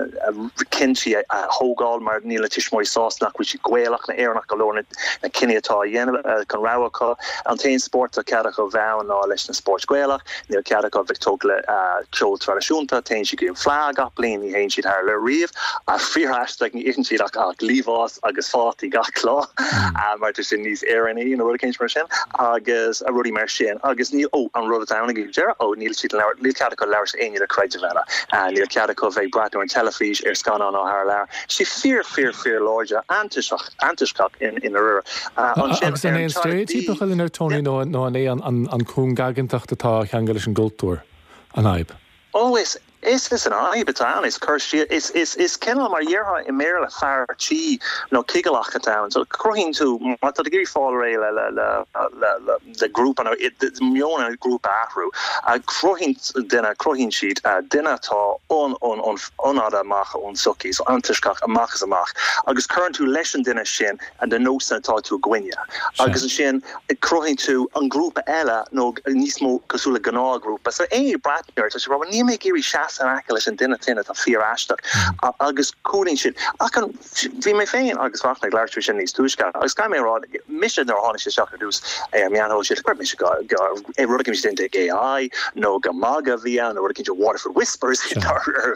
cinntí a thógáil mar níl na tuismitheoirí sásta nach bhfuil siad Gaelach nó Éireannach go leor na cinní atá á dhéanamh chun rogha acu. An t-aon spórt atá cead acu bheith ann ná leis na spóirt Gaelach. Níl cead acu bheith tógtha le ceol traidisiúnta. Téann siad go dtí an Fleadh gach bliain, ní théann siad thar lear riamh. Fíor-aisteach, ní itheann siad ach liamhás agus fataí gach lá mar tá sin níos Éireannaí nó rud eicínt mar sin. agus rudaí mar sin agus níl, ó, an rud atá ann ag deireadh, ó, níl siad labhairt, níl cead acu labhairt le éinne le creideamh eile, níl cead acu bheith ag breathnú ar an teilifís, ar scannáin ó thar lear. Sé fíor, fíor, fíor láidir, antoisceach, antoisceach i ndáiríre. Ansin, Agus an é an steiréitíopa a chuireann ar Tony nó an é an chúngaigeantacht atá á cheangal leis an gcultúr an fhadhb? Ó, is, is, is an fhadhb atá ann, is cur síos, is, is, is cineál mar a déarfá i mBéarla fear tí nó cigileach atá ann. So cruthaíonn tú, má tá tú ag iarraidh fáil réidh le, le, le, le, le, le grúpa nó meon an ghrúpa a athrú, cruthaíonn duine, cruthaíonn siad duine atá an, an, an, an-fhada amach ón tsochaí, so antoisceach amach is amach, agus cuireann tú leis an duine sin na nósanna atá tú i gcoinne, agus ansin cruthaíonn tú an grúpa eile nó níos mó cosúil le gnáthghrúpa. So éinne ag breathnú air, tá siad ag rá, bhuel níl mé ag iarraidh seasamh in aice leis an duine sin atá fíor-aisteach, agus cúlaíonn siad. Ach an, bhí mé féin agus Fachtna ag labhairt faoi sin níos túisce, agus caithfidh mé a rá, mise nuair a tháinig sé isteach ar dtús ar an meán shóisialta, go raibh mise go, go, rud éicint déanta ag AI nó gur magadh a bhí ann nó rud éicint Waterford Whispers a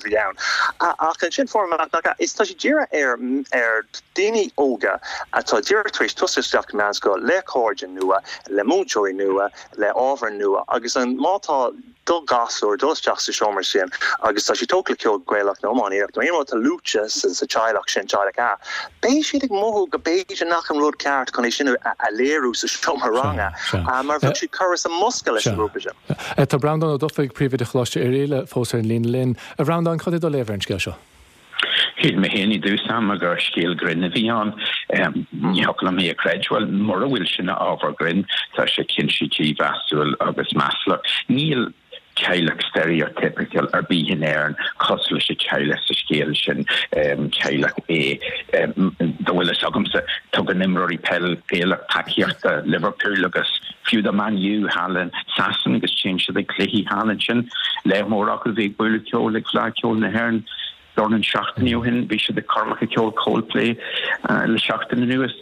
bhí ann. Ach ansin fuair mé amach nach ea, is tá sé dírithe ar, ar daoine óga atá díreach tar éis tosú isteach i meánscoil le cairde nua, le múinteoirí nua, le ábhair nua agus an, má tá do ghasúr ag dul isteach sa seomra sin agus tá siad tógtha le ceol Gaelach nó iománaíocht nó aon rud atá luaite sa teaghlach sin, teaghlach A, beidh siad ag mothú go b'fhéidir nach an rud ceart chun é sin a léiriú sa seomra ranga mar bheadh siad curtha sa mbosca leis an ngrúpa sin. Tá Breandán Ó Dufaigh, Príomhoide Choláiste Oirialla, fós ar an líne linn. A Bhreandáin, cad é do léamh ar an scéal seo? Shíl mé féin i dtús ama gur scéal grinn a bhí ann. Ní thiocfadh liom é a chreidbheáil. Mura bhfuil sin ina ábhar grinn, tá sé cinnte dímheasúil agus maslach. Níl teaghlach steiréitíopacha ar bith in Éirinn cosúil leis an teaghlach sa scéal sin, teaghlach A. Dá bhfuil fhios agamsa, tugann imreoirí peil Gaelach tacaíocht do Liverpool agus fiú do Man U thall in Sasana agus téann siad ag cluichí thall ansin. Lear mór acu a bhí ag bualadh ceoil ag Fleadh Cheoil na hÉireann dornán seachtainí ó shin. Bhí siad ag coirmeacha ceoil Coldplay le seachtain anuas.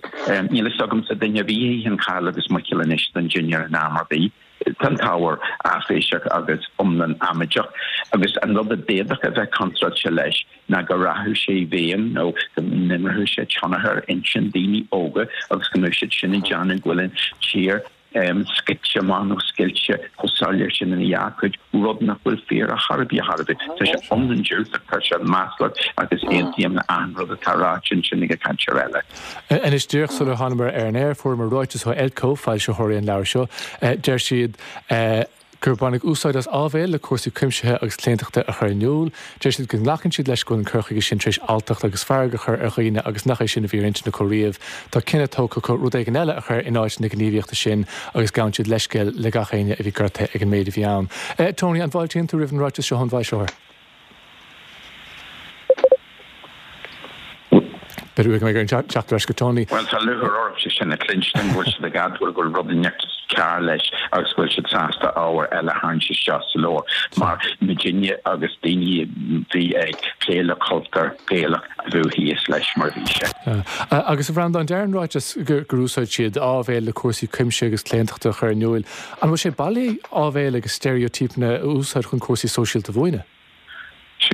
Níl fhios agamsa duine ar bith a itheann caill agus muiceoil anois don dinnéar in am ar bith. Tá an t-ábhar áiféiseach agus iomlán amaideach agus an rud a d'fhéadfadh a bheith contráilte leis ná go rachadh sé i bhfeidhm nó go n-imreodh sé tionchar ar intinn daoine óga agus go mbeadh siad sin ag déanamh go bhfuil an tír scoite amach nó scoilte chomh soiléir sin ina dhá cuid, rud nach bhfuil fíor ar chor ar bith, ar chor ar bith. Tá sé iomlán diúltach, tá sé maslach agus aontaím le achan rud atá ráite ansin ag an cainteoir eile. Anois, díreach sular thánamar ar an aer, fuaireamar ráiteas ó ELCO, foilsitheoirí an leabhair seo. Deir siad gur baineadh úsáid as áibhéil le cúrsaí cuimsithe agus claontachta a chur in iúl. Deir siad go nglacann siad leis go bhfuil an cur chuige sin tar éis alltacht agus fearg a chur ar dhaoine agus nach é sin a bhí ar intinn acu riamh. Tá cinneadh tógtha acu rud éigin eile a chur in áit na gníomhaíochta sin agus gabhann siad leithscéal le gach éinne a bhí gortaithe ag an méid a bhí ann. Tony, an bhfáiltíonn tú roimh an ráiteas seo ón bhfoilsitheoir? B'fhéidir go mbeidh orainn teacht ar ais go Tony. Bhuel, tá lúcháir ormsa sin a chluinstin, go bhfuil siad ag admháil go bhfuil rud inteacht cearr leis agus go bhfuil siad sásta ábhar eile a tharraingt isteach sa leabhar, mar muidinne agus daoine a bhí ag plé le cultúr Gaelach a bheadh thíos leis mar a bhí sé. Agus a Bhreandáin, deir an ráiteas gur úsáid siad áibhéil le cúrsaí cuimsithe agus claontachta a chur in iúil. An bhfuil sé bailí áibhéil agus steiréitípeanna a úsáid chun cúrsaí sóisialta a mhúineadh?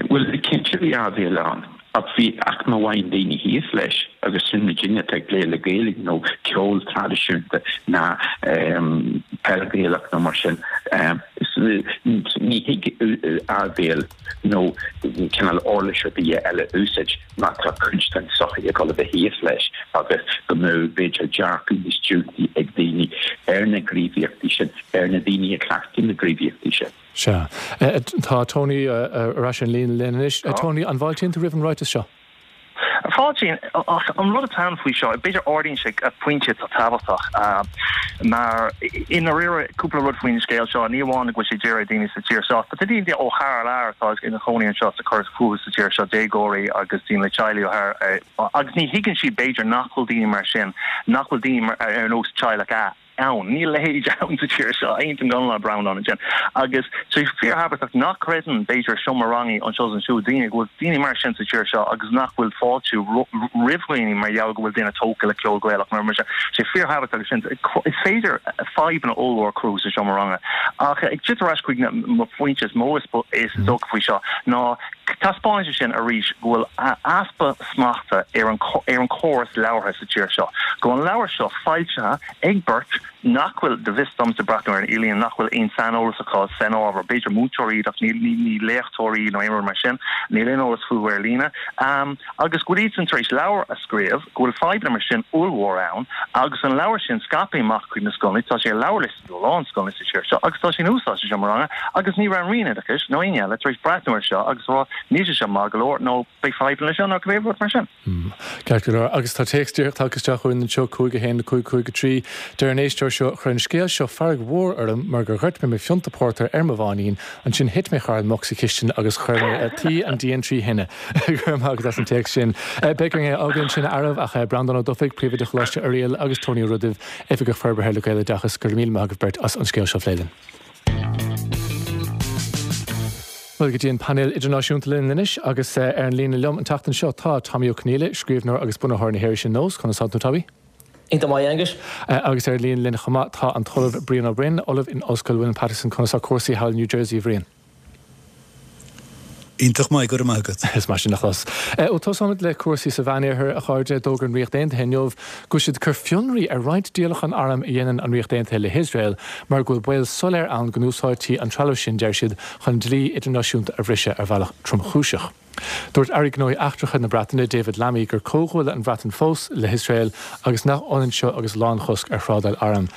Bhuel, cinnte bhí áibhéil ann, ach bhí aicme amháin daoine thíos leis, agus sin muidinne atá ag plé le Gaeilge nó ceol traidisiúnta ná peil Ghaelach nó mar sin. Ní thig áibhéil nó cineál uirlis ar bith eile a úsáid má tá cuid den tsochaí ag dul a bheith thíos leis agus go mbeadh b'fhéidir dearcadh níos diúltaí ag daoine ar na gníomhaíochtaí sin, ar na daoine a chleachtann na gníomhaíochtaí sin. Sea. Tá Tony ar ais ar an líne linn anois. Tony, an bhfáiltíonn tú roimh an ráiteas seo? Fáiltím, ach an rud atá ann faoi seo, b'fhéidir ardaíonn sé pointe atá tábhachtach, mar i ndáiríre, cúpla rud faoin scéal seo, ní amháin go bhfuil sé dírithe ar daoine sa tír seo, ach tá daoine ó thar lear atá ina chónaí anseo ag cur fúthu sa tír seo, déagóirí agus daoine le teaghlaigh ó thar, agus ní thuigeann siad b'fhéidir nach bhfuil daoine mar sin, nach bhfuil daoine ar nós teaghlach A. ann. Níl a leithéid ann sa tír seo. Aontaím go hiomlán le Breandán ansin. Agus tá sé fíorthábhachtach nach gcreideann, b'fhéidir, seomra ranga anseo is ansiúd, daoine go bhfuil daoine mar sin sa tír seo agus nach bhfuil fáiltiú roimh dhaoine mar gheall go bhfuil duine tógtha le ceol Gaelach nó mar sin. Tá sé fíorthábhachtach agus sin. Is féidir fadhbanna ollmhór a chruthú sa seomra ranga. Ach ag teacht ar ais chuig mo phointe is mó is dócha faoi seo ná taispeánann sé sin arís go bhfuil easpa smachta ar an ar an chóras leabhartha sa tír seo. Go bhfuil an leabhar seo foilsithe ag beirt. nach bhfuil, go bhfios domsa, breathnú ar an idirlíon, nach bhfuil aon saineolas acu san ábhar, b'fhéidir múinteoirí iad ach ní léachtóirí nó aon rud mar sin, níl aon eolas fúthu ar líne, agus go bhfuil iadsan tar éis leabhar a scríobh, go bhfuil fadhbanna mar sin ollmhór ann, agus an leabhar sin scaipthe amach chuig na scoileanna, tá sé ar leabharliosta do a lán scoileanna sa tír seo agus tá sé in úsáid sa seomra ranga agus ní raibh an Roinn Oideachais nó éinne eile tar éis breathnú air seo agus a rá níl sé seo maith go leor nó beidh fadhbanna leis seo nó cibé rud mar sin. Ceart go leor. Agus tá téacs díreach tagtha isteach chugainn anseo, 5 1 5 5 3. Deir an éisteoir seo, Chuir an scéal seo fearg mhór orm mar gur dhoirt mé mo phionta pórtair ar mo bháinín, ansin thit mé thar an muc sa chistin agus chuir mé tuí an díon 3 thine. Go raibh maith agat as an téacs sin. Beidh orainn é a fhágáil ansin a fhearaibh ach Breandán Ó Dufaigh, Príomhoide Choláiste Oiriall agus Tony Ó Rudaimh, Oifigeach Forbartha le Gaeloideachas, go raibh míle maith agaibh beirt as an scéal seo a phlé linn. Bhuel, go dtí an painéal idirnáisiúnta linn anois agus ar an líne liom an tseachtain seo tá Tommy Ó Conghaile, scríbhneoir agus bunaitheoir na hirise Nós. Conas tá tú, Tommy? Iontach maith, Aengus. Agus ar an líne linn chomh maith tá an tOllamh Brian Ó Broin, Ollamh in Ollscoil William Paterson. Conas tá cúrsaí thall in New Jersey, a Bhriain? Iontach maith, go raibh maith agat. Is maith sin a chlos. Ó tosóimid le cúrsaí sa Mheánoirthear, a chairde. D'fhógair an Ríocht Aontaithe inniu go bhfuil siad ag cur fionraí ar roinnt díolachán arm a dhéanann an Ríocht Aontaithe le hIosrael mar go bhfuil baol soiléir ann go n-úsáidtí an trealamh sin, deir siad, chun dlí idirnáisiúnta a bhriseadh ar bhealach tromchúiseach. Dúirt Aire Gnóthaí Eachtracha na Breataine, David Lammy, gur comhghuaille an Bhreatain fós le hIosrael agus nach ionann seo agus lánchosc ar thrádáil arm.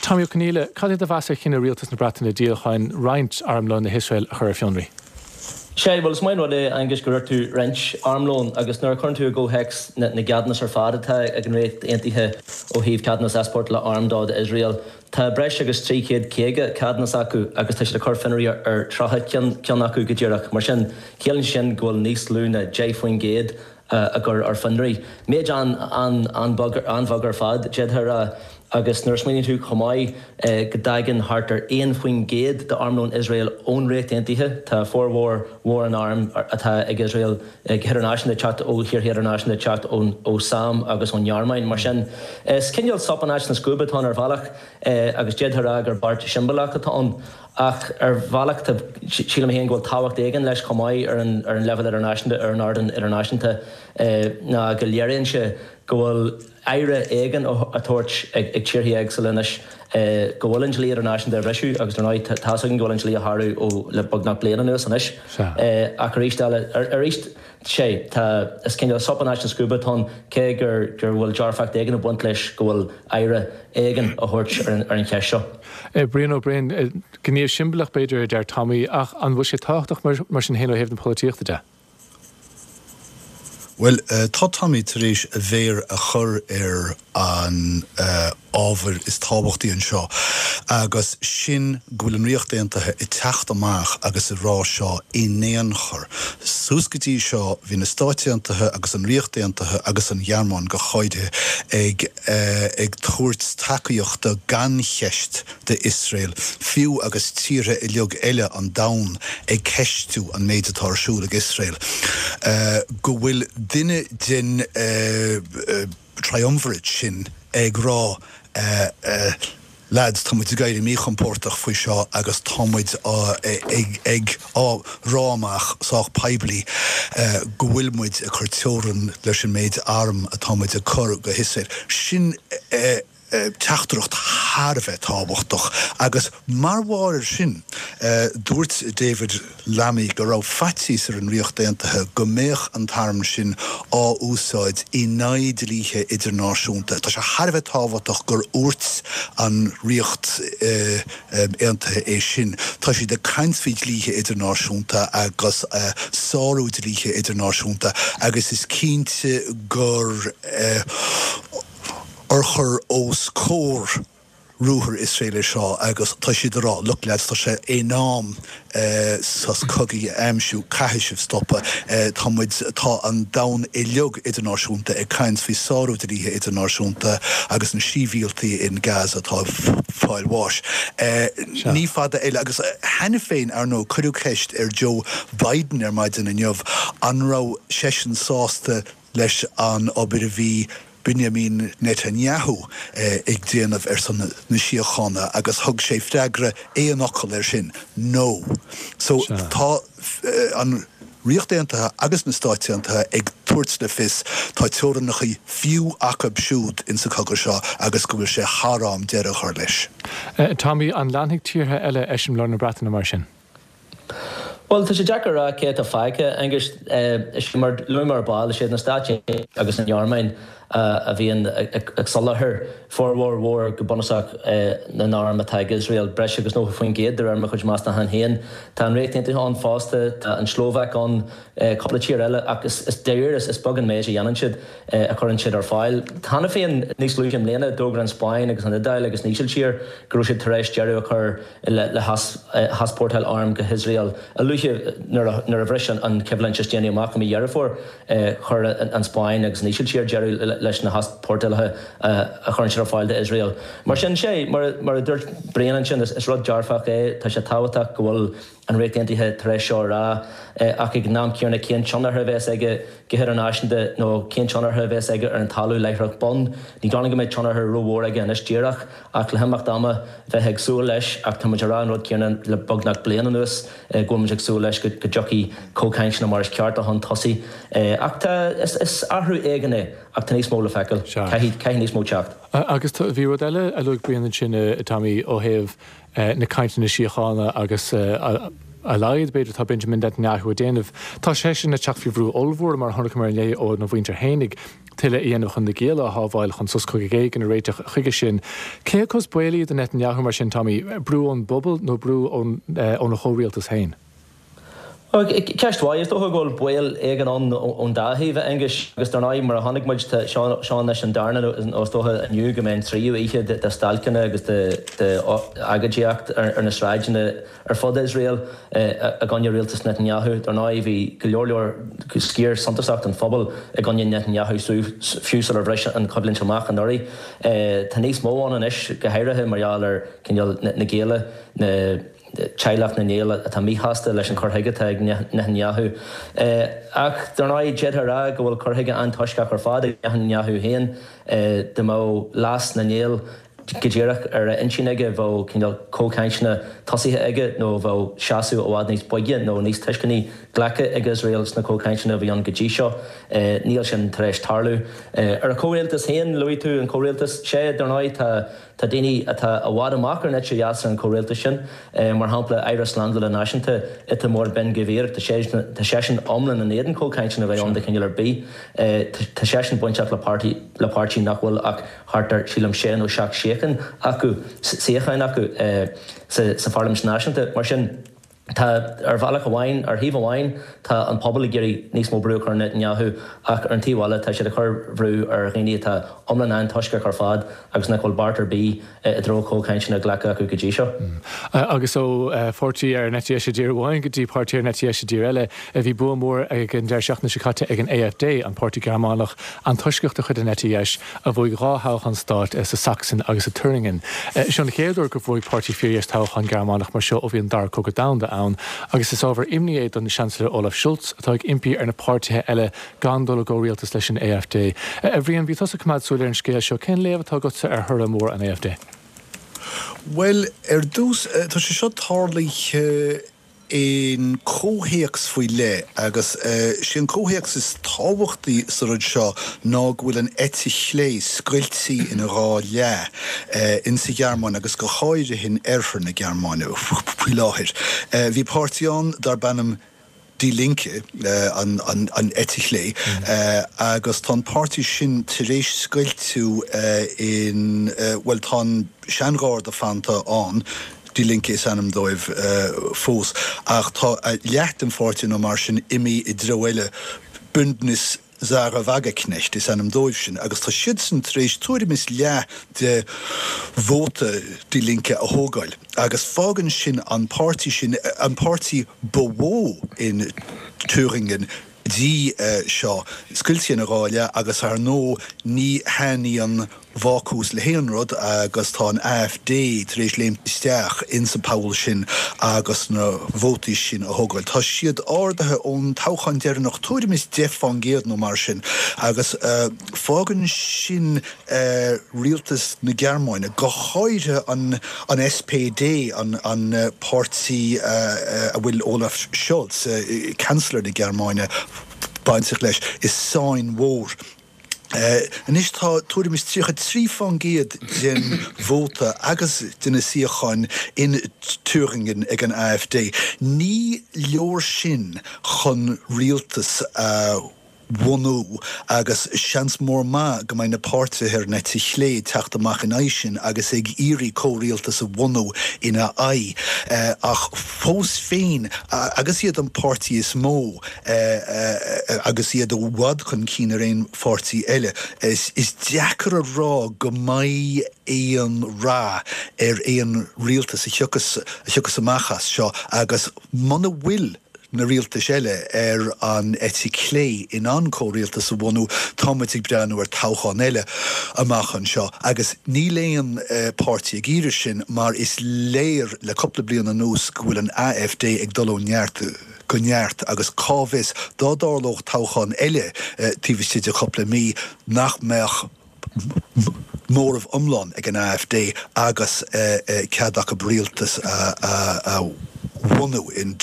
Tommy Ó Conghaile, cad é do mheas ar chinneadh Rialtas na Breataine díolacháin roinnt armlóin le hIosrael a chur ar fionraí? Sea, bhuel is maith an rud é, Aengus, gur dúirt tú roinnt armlóin agus nuair a chuireann tú i gcomhthéacs na gceadúnas ar fad atá ag an Ríocht Aontaithe ó thaobh ceadúnas easpórtála arm do d'Iosrael, Tá breis agus 350 ceadúnas acu agus tá siad ag cur fionraí ar 30 ceann acu go díreach. Mar sin, ciallaíonn sé sin go bhfuil níos lú ná 10% á gcur ar fionraí. Méid an-bheag ar fad, d'fhéadfá a rá. Agus nuair a smaoiníonn tú chomh maith go dtagann thart ar 1% d'armlón Iosrael ón Ríocht Aontaithe, tá formhór mhór an airm atá ag Iosrael, go hidirnáisiúnta, teacht ó thíortha idirnáisiúnta, teacht ó sam agus ón nGearmáin. Mar sin, is cineál sop in áit na scuaibe atá ann ar bhealach agus d'fhéadfá a rá gur beart siombalach atá ann. Ach ar bhealach, tá, sílim féin go bhfuil tábhacht éigin leis chomh maith ar an ar an leibhéal idirnáisiúnta, ar an ardán idirnáisiúnta, ná go léiríonn sé go bhfuil aire éigin á tabhairt ag tíortha éagsúla anois go bhfuil an dlí idirnáisiúnta á bhriseadh agus dar ndóigh tá's againn go bhfuil an dlí á shárú ó le beagnach bliain anuas anois. Ach arís eile, arís, sé, tá, is cineál sop in áit na scuaibe atá ann cé gur gur bhfuil dearfacht éigin ag baint leis go bhfuil aire éigin á thabhairt ar an ar an cheist seo. Brian Ó Broin, gníomh siombalach b'fhéidir a deir Tommy ach an bhfuil sé tábhachtach mar sin féin ó thaobh na polaitíochta de? Bhuel, tá Tommy tar éis a mhéar a chur ar an ábhar is tábhachtaí anseo, agus sin go bhfuil an Ríocht Aontaithe ag teacht amach agus ag rá seo in aon chor. Suas go dtí seo, bhí na Stáit Aontaithe agus an Ríocht Aontaithe agus an Ghearmáin go háirithe ag ag tabhairt tacaíochta gan cheist d'Iosrael, fiú agus tíortha uilig eile an domhain ag ceistiú an méid atá ar siúl ag Iosrael, go bhfuil duine den triumvirate sin ag rá lads, tá muid ag éirí míchompordach faoi seo agus tá muid ag á rá amach sách poiblí go bhfuil muid ag cur teorann leis an méid arm atá muid ag cur go hIosrael. Sin teachtaireacht thar a bheith tábhachtach agus mar bharr air sin dúirt David Lammy go raibh faitíos ar an Ríocht Aontaithe go mbeadh an t-arm sin á úsáid in aghaidh dlíthe idirnáisiúnta. Tá sé thar a bheith tábhachtach gur úirt an Ríocht Aontaithe é sin. Tá siad ag caint faoi dhlíthe idirnáisiúnta agus sárú dlíthe idirnáisiúnta agus is cinnte gur urchar os comhair ruathar Iosrael é seo agus tá siad ag rá, look lads, tá sé in am sos cogaidh a aimsiú, caithfidh sibh stopadh, tá muid, tá an domhan uilig idirnáisiúnta ag caint faoi sárú dlíthe idirnáisiúnta agus na síbhialtaigh in Gaza atá ag fáil bháis. Ní fada eile agus cheana féin, ar ndóigh, cuireadh ceist ar Joe Biden ar maidin inniu an raibh seisean sásta leis an obair a bhí Benjamin Netanyahu ag déanamh ar son na síochána agus thug sé freagra aon fhocal air sin, No. So tá an. Ríocht Aontaithe agus na Stáit Aontaithe ag tabhairt le fios tá teorainneacha fiú acu siúd insa chogadh seo agus go bhfuil sé thar am deireadh a chur leis. Tommy, an leanfaidh tíortha eile eiseamláir na Breataine mar sin? Bhuel, tá sé deacair a rá cé atá fágtha, Aengus. Is é mar a luaigh mé ar ball, is iad na Stáit Aontaithe agus an Ghearmáin a bhíonn ag soláthar formhór mhór go bunúsach na n-arm atá ag Iosrael, breis agus 90% de réir mo chuid meastachán féin. Tá an Ríocht Aontaithe ann fosta, tá an tSlóvaic ann, cúpla tír eile ach is dáiríre is beag an méid a dhéanann siad, a chuireann siad ar fáil. Cheana féin, níos luaithe i mbliana, d'fhógair an Spáinn agus an Iodáil agus an Ísiltír go raibh siad tar éis deireadh a chur le heaspórtáil arm go hIosrael. A luaithe nuair a bhris an choimhlint is déanaí amach i mí Dheireadh Fómhair, chuir an Spáinn agus an Ísiltír deireadh leis na heaspórtálacha a chuireann siad ar fáil d'Iosrael. Mar sin, sé, mar a dúirt Brian ansin, is rud dearfach é. Tá sé tábhachtach go bhfuil an Ríocht Aontaithe tar éis seo a rá, ach ag an am céanna cén tionchar a bheas aige go hidirnáisiúnta nó cén tionchar a bheas aige ar an talamh láithreach bonn? Ní dóigh liom go mbeidh tionchar rómhór aige anois díreach, ach le himeacht ama bheifeá ag súil leis, ach tá muid ag rá an rud céanna le beagnach bliain anuas, go bhfuil muid ag súil leis go dtiocfaidh comhchainteanna mar is ceart chun tosaigh. Ach tá, is athrú éigin é, ach tá níos mó le feiceáil. Caithfidh níos mó teacht. Agus bhí rud eile a luaigh Brian ansin, a Tommy, ó thaobh na cainteanna síochána agus a laghad, b'fhéidir, atá Benjamin Netanyahu ag déanamh. Tá seisean ag teacht faoi bhrú ollmhór, mar a chonaiceamar inné, óna mhuintir fhéinig, tuilleadh a dhéanamh chun na gialla a shábháil, chun sos cogaidh éigin a réiteach chuige sin. Cé acu is baolaí do Netanyahu mar sin, Tommy, brú ón bpobal nó brú óna chomhrialtas féin? Ceist mhaith. Is dócha go bhfuil baol éigin ann ón dá thaobh, a Aonghuis. Agus dar ndóigh, mar a chonaic muid, tá seo anois an darna nó is dócha inniu go mbeidh an tríú oíche de stailceanna agus de agóidíocht ar na sráideanna ar fud Iosrael i gcoinne rialtas Netanyahu. Dar ndóigh, bhí go leor leor sciar suntasach den phobal i gcoinne Netanyahu fiú sular bhris an choimhlint amach anuraidh. Tá níos mó ann anois, go háirithe mar gheall ar cineál na gialla, na. teaghlach na ngiall atá míshásta leis an chur chuige atá ag Netanyahu. Ach, dar ndóigh, d'fhéadfá a rá go bhfuil cur chuige antoisceach ar fad ag Netanyahu féin. Dá mbeadh leas na ngiall go díreach ar a intinn aige, bheadh cineál comhchainteanna tosaithe aige nó bheadh seasamh i bhfad níos boige nó níos tuisceanaí glactha ag Iosrael sna comhchainteanna a bhí ann go dtí seo. Níl sin tar éis tarlú. Ar a chomhrialtas féin, luaigh tú an comhrialtas. Sea, dar ndóigh, tá. Tá daoine atá i bhfad amach ar an eite dheas ar an chomhrialtas sin, mar shampla Aire Slándála Náisiúnta Itamar Ben Gvir, tá seisean iomlán in éadan comhchainteanna a bheith ann de chineál ar bith. Tá seisean bainteach le páirtí le páirtí nach bhfuil ach thart ar, sílim, sé nó seacht suíochán acu, suíocháin acu sa Pharlaimint Náisiúnta. Mar sin. Tá, ar bhealach amháin, ar thaobh amháin, tá an pobal ag iarraidh níos mó brú a chur ar Netanyahu ach ar an taobh eile tá siad ag cur bhrú ar dhaoine atá iomlán antoisceach ar fad agus nach bhfuil beart ar bith i dtreo comhchainteanna glactha acu go dtí seo. Agus ó pháirtí ar an eite dheis i dtír amháin go dtí páirtí ar an eite dheis i dtír eile, bhí bua mór ag an deireadh seachtaine seo caite ag an AfD, an páirtí Gearmánach antoisceach de chuid an eite dheis, a bhuaigh 2 thoghchán stáit sa Sachsen agus i Thüringen. Seo an chéad uair gur bhuaigh páirtí fíordheis toghchán Gearmánach mar seo ó bhí an Dara Cogadh Domhanda ann, agus is ábhar imní é don Seansailéir Olaf Scholz, atá ag impí ar na páirtithe eile gan dul i gcomhrialtas leis an AfD. A Bhriain, bhí tusa ag coimeád súil ar an scéal seo. Cén léamh atá agatsa ar thoradh mór an AfD? Bhuel, ar dtús, tá sé seo tarlaithe in comhthéacs faoi leith agus sé an comhthéacs is tábhachtaí sa rud seo ná go bhfuil an eite chlé scoiltí ina dhá leath in sa Ghearmáin agus go háirithe in oirthear na Gearmáine faoi láthair. Bhí páirtí ann darb ainm Die Linke, an eite chlé, agus tá an páirtí sin tar éis scoilteadh in, bhuel tá an seangharda fanta ann, Die Linke is ainm dóibh fós, ach tá leath den pháirtí nó mar sin imithe i dtreo eile, Bündnis Sahra Wagenknecht is ainm dóibh sin, agus tá siadsan tar éis tuairim is leath de vóta Die Linke a thógáil, agus fágann sin an páirtí sin, an páirtí ba mhó in Thüringen go dtí seo, scoilte ina dhá leath, agus ar ndóigh ní thaitníonn. bhácús le haon rud agus tá an AfD tar éis léimt isteach ins an poll sin agus na vótaí sin a thógáil. Tá siad ardaithe ón toghchán deireanach tuairim is 10 fán gcéad nó mar sin agus fágann sin rialtas na Gearmáine, go háirithe an SPD, an páirtí a bhfuil Olaf Scholz, Chancellor na Gearmáine, bainteach leis, i sáinn mhór. Anois tá tuairim is 33 fán gcéad den vóta agus de na suíocháin in Thüringen ag an AfD. Ní leor sin chun rialtas a bhunú agus seans mór maith go mbeidh na páirtithe ar an eite chlé ag teacht amach in aghaidh sin agus ag iarraidh comhrialtas a bhunú ina aghaidh. Ach fós féin, agus iad an páirtí is mó, agus iad i bhfad chun cinn ar aon pháirtí eile. Is deacair a rá go mbeidh aon rath ar aon rialtas a thiocfas amach as seo agus muna bhfuil na rialtais eile ar an eite chlé in ann comhrialtas a bhunú, tá muid ag breathnú ar toghchán eile amach anseo agus níl aon páirtí ag iarraidh sin mar is léir le cúpla bliain anuas go bhfuil an AfD ag dul ó neart go neart agus cá bhfios, dá dtarlódh toghchán eile taobh istigh de chúpla mí, nach mbeadh móramh iomlán ag an AfD agus cead acu rialtas a bhunú in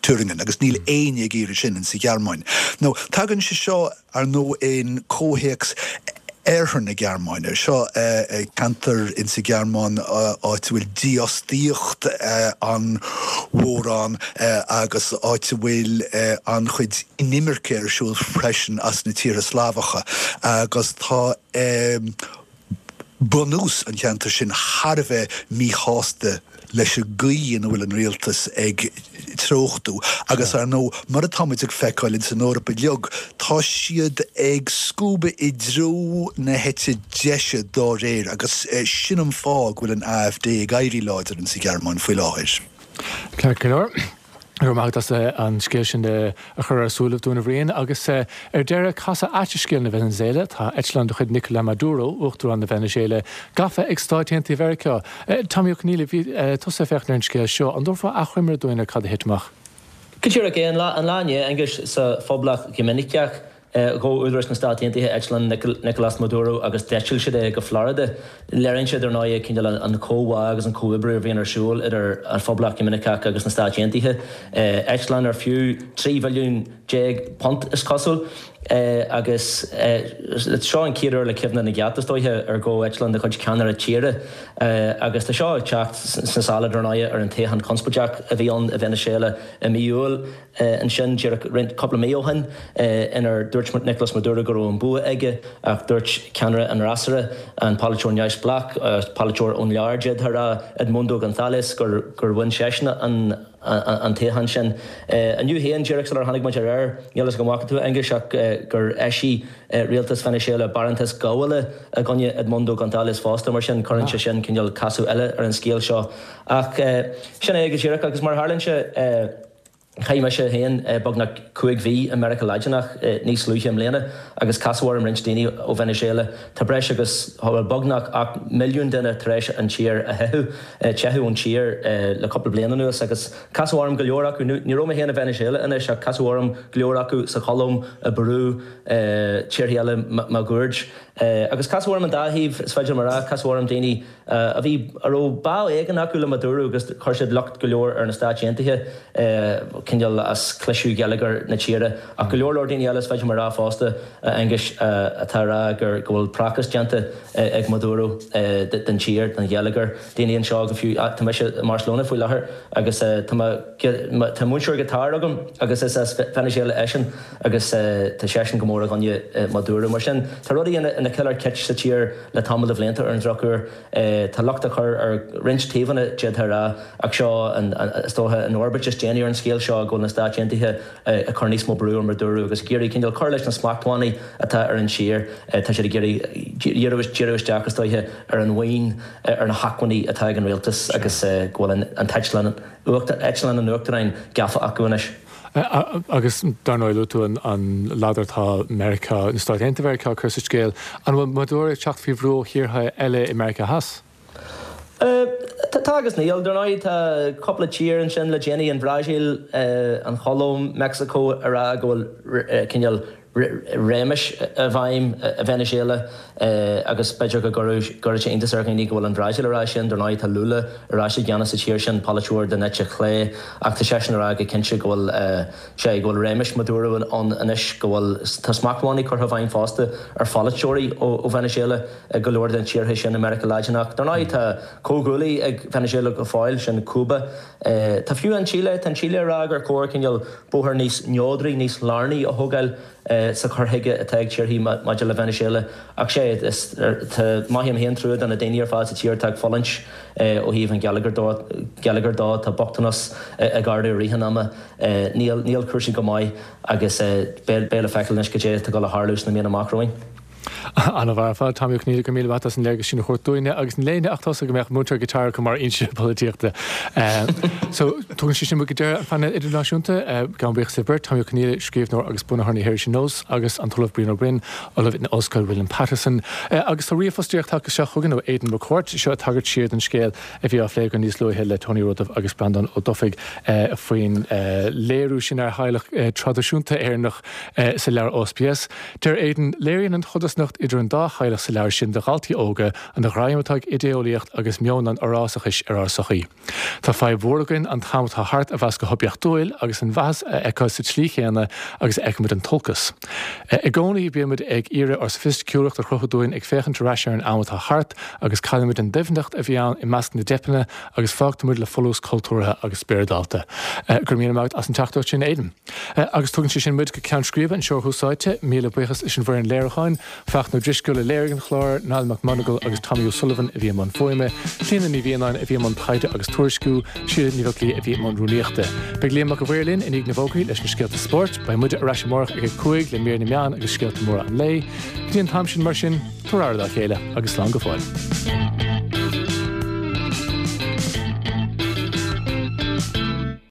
Thüringen agus níl éinne ag iarraidh sin insa Ghearmáin. Now, tagann sé seo. Ar ndóigh in comhthéacs Oirthear na Gearmáine, seo ceantar insa Ghearmáin áit a bhfuil dífhostaíocht an-mhór ann agus áit a bhfuil an-chuid inimirce ar siúl freisin as na tíortha Slavacha agus tá bunús an cheantair sin thar a bheith míshásta leis an gcaoi ina bhfuil an rialtas ag treochtú agus, ar ndóigh, mar atá muid ag feiceáil ins an Eoraip uilig, tá siad ag scuabadh i dtreo na heite deise dá réir agus sin an fáth go bhfuil an AfD ag éirí láidir ins an Ghearmáin faoi láthair. Ceart go leor. Go raibh maith agat as an scéal sin a chur ar ár súilibh dúinn, a Bhriain. Agus ar deireadh, casadh ait i scéal na Veiniséala. Tá eitleán de chuid Nicolas Maduro, Uachtarán na Veiniséala, gafa ag Stáit Aontaithe Mheiriceá. Tommy Ó Conghaile, bhí tusa ag féachaint ar an scéal seo. An dtabharfá achoimre dúinn ar cad a thit amach? Go díreach é. An lá inné, Aengus, sa Phoblacht Dhoiminiceach, Ghabh údaráis na Stát Aontaithe eitleán Nicolás Maduro agus d'eitil siad é go Florida. Léiríonn sé, dar ndóigh, cineál an comhbhá agus an comhoibriú a bhíonn ar siúl idir an Phoblacht Dhoiminiceach agus na Stáit Aontaithe. Eitleán ar fiú 13 mhilliún punt, is cosúil, agus seo an chéad uair le cuimhne na gceart, is dóiche, ar gabhadh eitleán de chuid ceannaire tíre. Agus tá seo ag teacht sna sála, dar ndóigh, ar an toghchán conspóideach a bhí ann i Veiniséala i mí Iúil. Ansin, díreach roinnt cúpla mí ó shin, inar dúirt Nicolas Maduro go raibh an bua aige, ach dúirt ceannaire an fhreasúra, an polaiteoir neamhspleách, polaiteoir ón lár, d'fhéadfá a rá, Edmundo González, gur bhain seisean an toghchán sin. Inniu féin, díreach sular tháinig muid ar aer, níl fhios agam an bhfaca tú, a Aonghuis, ach gur eisigh rialtas Veiniséala barántas gabhála i gcoinne Edmundo González fosta, mar sin cuireann sé sin cineál casadh eile ar an scéal seo. Ach sin é go díreach, agus mar a tharlaíonn sé, Chaith mise féin beagnach 5 mhí i Meiriceá Laidineach níos luaithe i mbliana agus casadh orm roinnt daoine ó Veiniséala. Tá breis agus, bhuel, beagnach 8 milliún duine tar éis an tír a theitheadh, teitheadh ón tír le cúpla bliain anuas agus casadh orm go leor acu. Ní raibh mé féin i Veiniséala anois ach casadh orm go leor acu sa Cholóim, i bPeru, tíortha eile máguaird. Agus casadh orm an dá thaobh, is féidir liom a rá, casadh orm daoine, a bhí, a raibh bá éigin acu le Maduro agus chuir siad locht go leor ar na Stáit Aontaithe, cineál as cliseadh gheilleagar na tíre. Ach go leor leor daoine eile, is féidir liom a rá fosta, a Aonghuis, atá ag rá gur, go bhfuil prácás déanta ag Maduro den tír, den gheilleagar. Daoine anseo go fiú, tá mise i mBarcelona faoi láthair agus tá mo, tá múinteoir giotáir agam agus is as Veiniséala eisean agus tá seisean go mór i gcoinne Maduro. Mar sin, tá rudaí ina ciolar cit sa tír. Le tamall de bhlianta, ar an drochuair, tá locht á chur ar roinnt taobhanna, d'fhéadfá a rá, ach seo, is dócha, an fhorbairt is déanaí ar an scéal seo, go bhfuil na Stáit Aontaithe ag cur níos mó brú ar Maduro agus ag iarraidh cineál cur leis na smachtbhannaí atá ar an tír. Tá siad ag iarraidh díriú isteach, is dóiche, ar an mhaoin, ar na hacmhainní atá ag an rialtas agus go bhfuil an t-eitleán, eitleán an Uachtaráin gafa acu anois. Agus dar ndóigh luaigh tú an ladar atá Meiriceá, na Stáit Aontaithe Mheiriceá ag cur sa scéal. An bhfuil Maduro ag teacht faoi bhrú ó thíortha eile i Meiriceá Theas? Tá agus níl. Dar ndóigh tá cúpla tír ansin le déanaí, an Bhrasaíl, an Cholóim, Meicsiceo, ag rá go bhfuil cineál réimeas i bhfeidhm i Veiniséala agus b'fhéidir go gcuirfeadh sé iontas ar dhaoine go bhfuil an Bhrasaíl ag rá sin. Dar ndóigh tá Lula ar ais i gceannas sa tír sin, polaiteoir den eite chlé, ach tá seisean ag rá go cinnte go bhfuil sé, go bhfuil réimeas Maduro ann anois, go bhfuil, tá smachtbhannaí curtha i bhfeidhm fosta ar pholaiteoirí ó Veiniséala i go leor de na tíortha sin i Meiriceá Laidineach. Dar ndóigh tá comhghuaillí ag Veiniséala go fóill, sin Cúba. Tá fiú an tSíle, tá an tSíle ag rá gur chóir cineál bóthar níos neodraí, níos lárnaí a thógáil sa chur chuige atá ag tíorthaí maidir le Veiniséala. Ach sé, is, tá, mothaím féin trua do na daoine ar fad sa tír atá ag fulaingt ó thaobh an gheilleagair geilleagair dó. Tá bochtanas ag ardú i rith an ama. Níl, níl cúrsaí go maith agus beidh, beidh le feiceáil anois cad é atá ag dul a tharlú sna míonna amach romhainn. An-mhaith ar fad, Tommy Ó Conghaile, go raibh míle maith agat as an léargas sin a thabhairt dúinne agus níl éinne ach tusa go mbeadh múinteoir guitar acu mar fhoinse polaitíochta. So, tugann sé sin muid go deireadh an phainéil idirnáisiúnta. Gabhaim buíochas libh beirt, Tommy Ó Conghaile, scríbhneoir agus bunaitheoir na hirise Nós, agus an tOllamh Brian Ó Broin, Ollamh in Ollscoil William Paterson. Agus tá ríomhphost díreach tagtha isteach chugainn ó Aidan McCourt, seo ag tagairt siar don scéal a bhí á phlé againn níos luaithe le Tony Ó Rudaimh agus Breandán Ó Dufaigh faoin léiriú sin ar theaghlach traidisiúnta Éireannach sa leabhar OSPS. Deir Aidan, Léiríonn an chodarsnacht idir an dá theaghlach sa leabhar sin do dhaltaí óga an ghreim atá ag idé-eolaíocht agus meon an fhorásachais ar ár sochaí. Tá fadhb mhór againn an t-am atá thart a mheas go hoibiachtúil agus an mhaitheas a fheiceáil sa tslí chéanna agus a fheicimid an t-olcas. I gcónaí bímid ag iarraidh ár sofaisticiúlacht a chruthú dúinn ag féachaint ar ais ar an am atá thart agus caillimid an doimhneacht a bhí ann i measc na dteipeanna agus fágtaimid le folús cultúrtha agus spioradálta. Go raibh míle maith agat as an teachtaireacht sin, Aidan. Agus tugann sé sin muid go ceann scríbe anseo ar Thús Áite. Míle buíochas leis an bhfoireann léiriúcháin, Fachtna Ó Drisceoil a léirigh an clár, Niall McMonagle agus Tommy O'Sullivan a bhí i mbun fuaime, Clíona Ní Mhianáin a bhí i mbun taighde agus tuairisciú, Síle Ní Bheaglaoí a bhí i mbun rúnaíochta. Beidh Liam Mac a' Mhaoir linn i ndiaidh na bhfógraí leis na scéalta spóirt. Beidh muide ar ais amárach ag a 5 le mír na meán agus scéalta móra an lae. Go dtí an t-am sin, mar sin, tabhair aire dá chéile agus slán go fóill.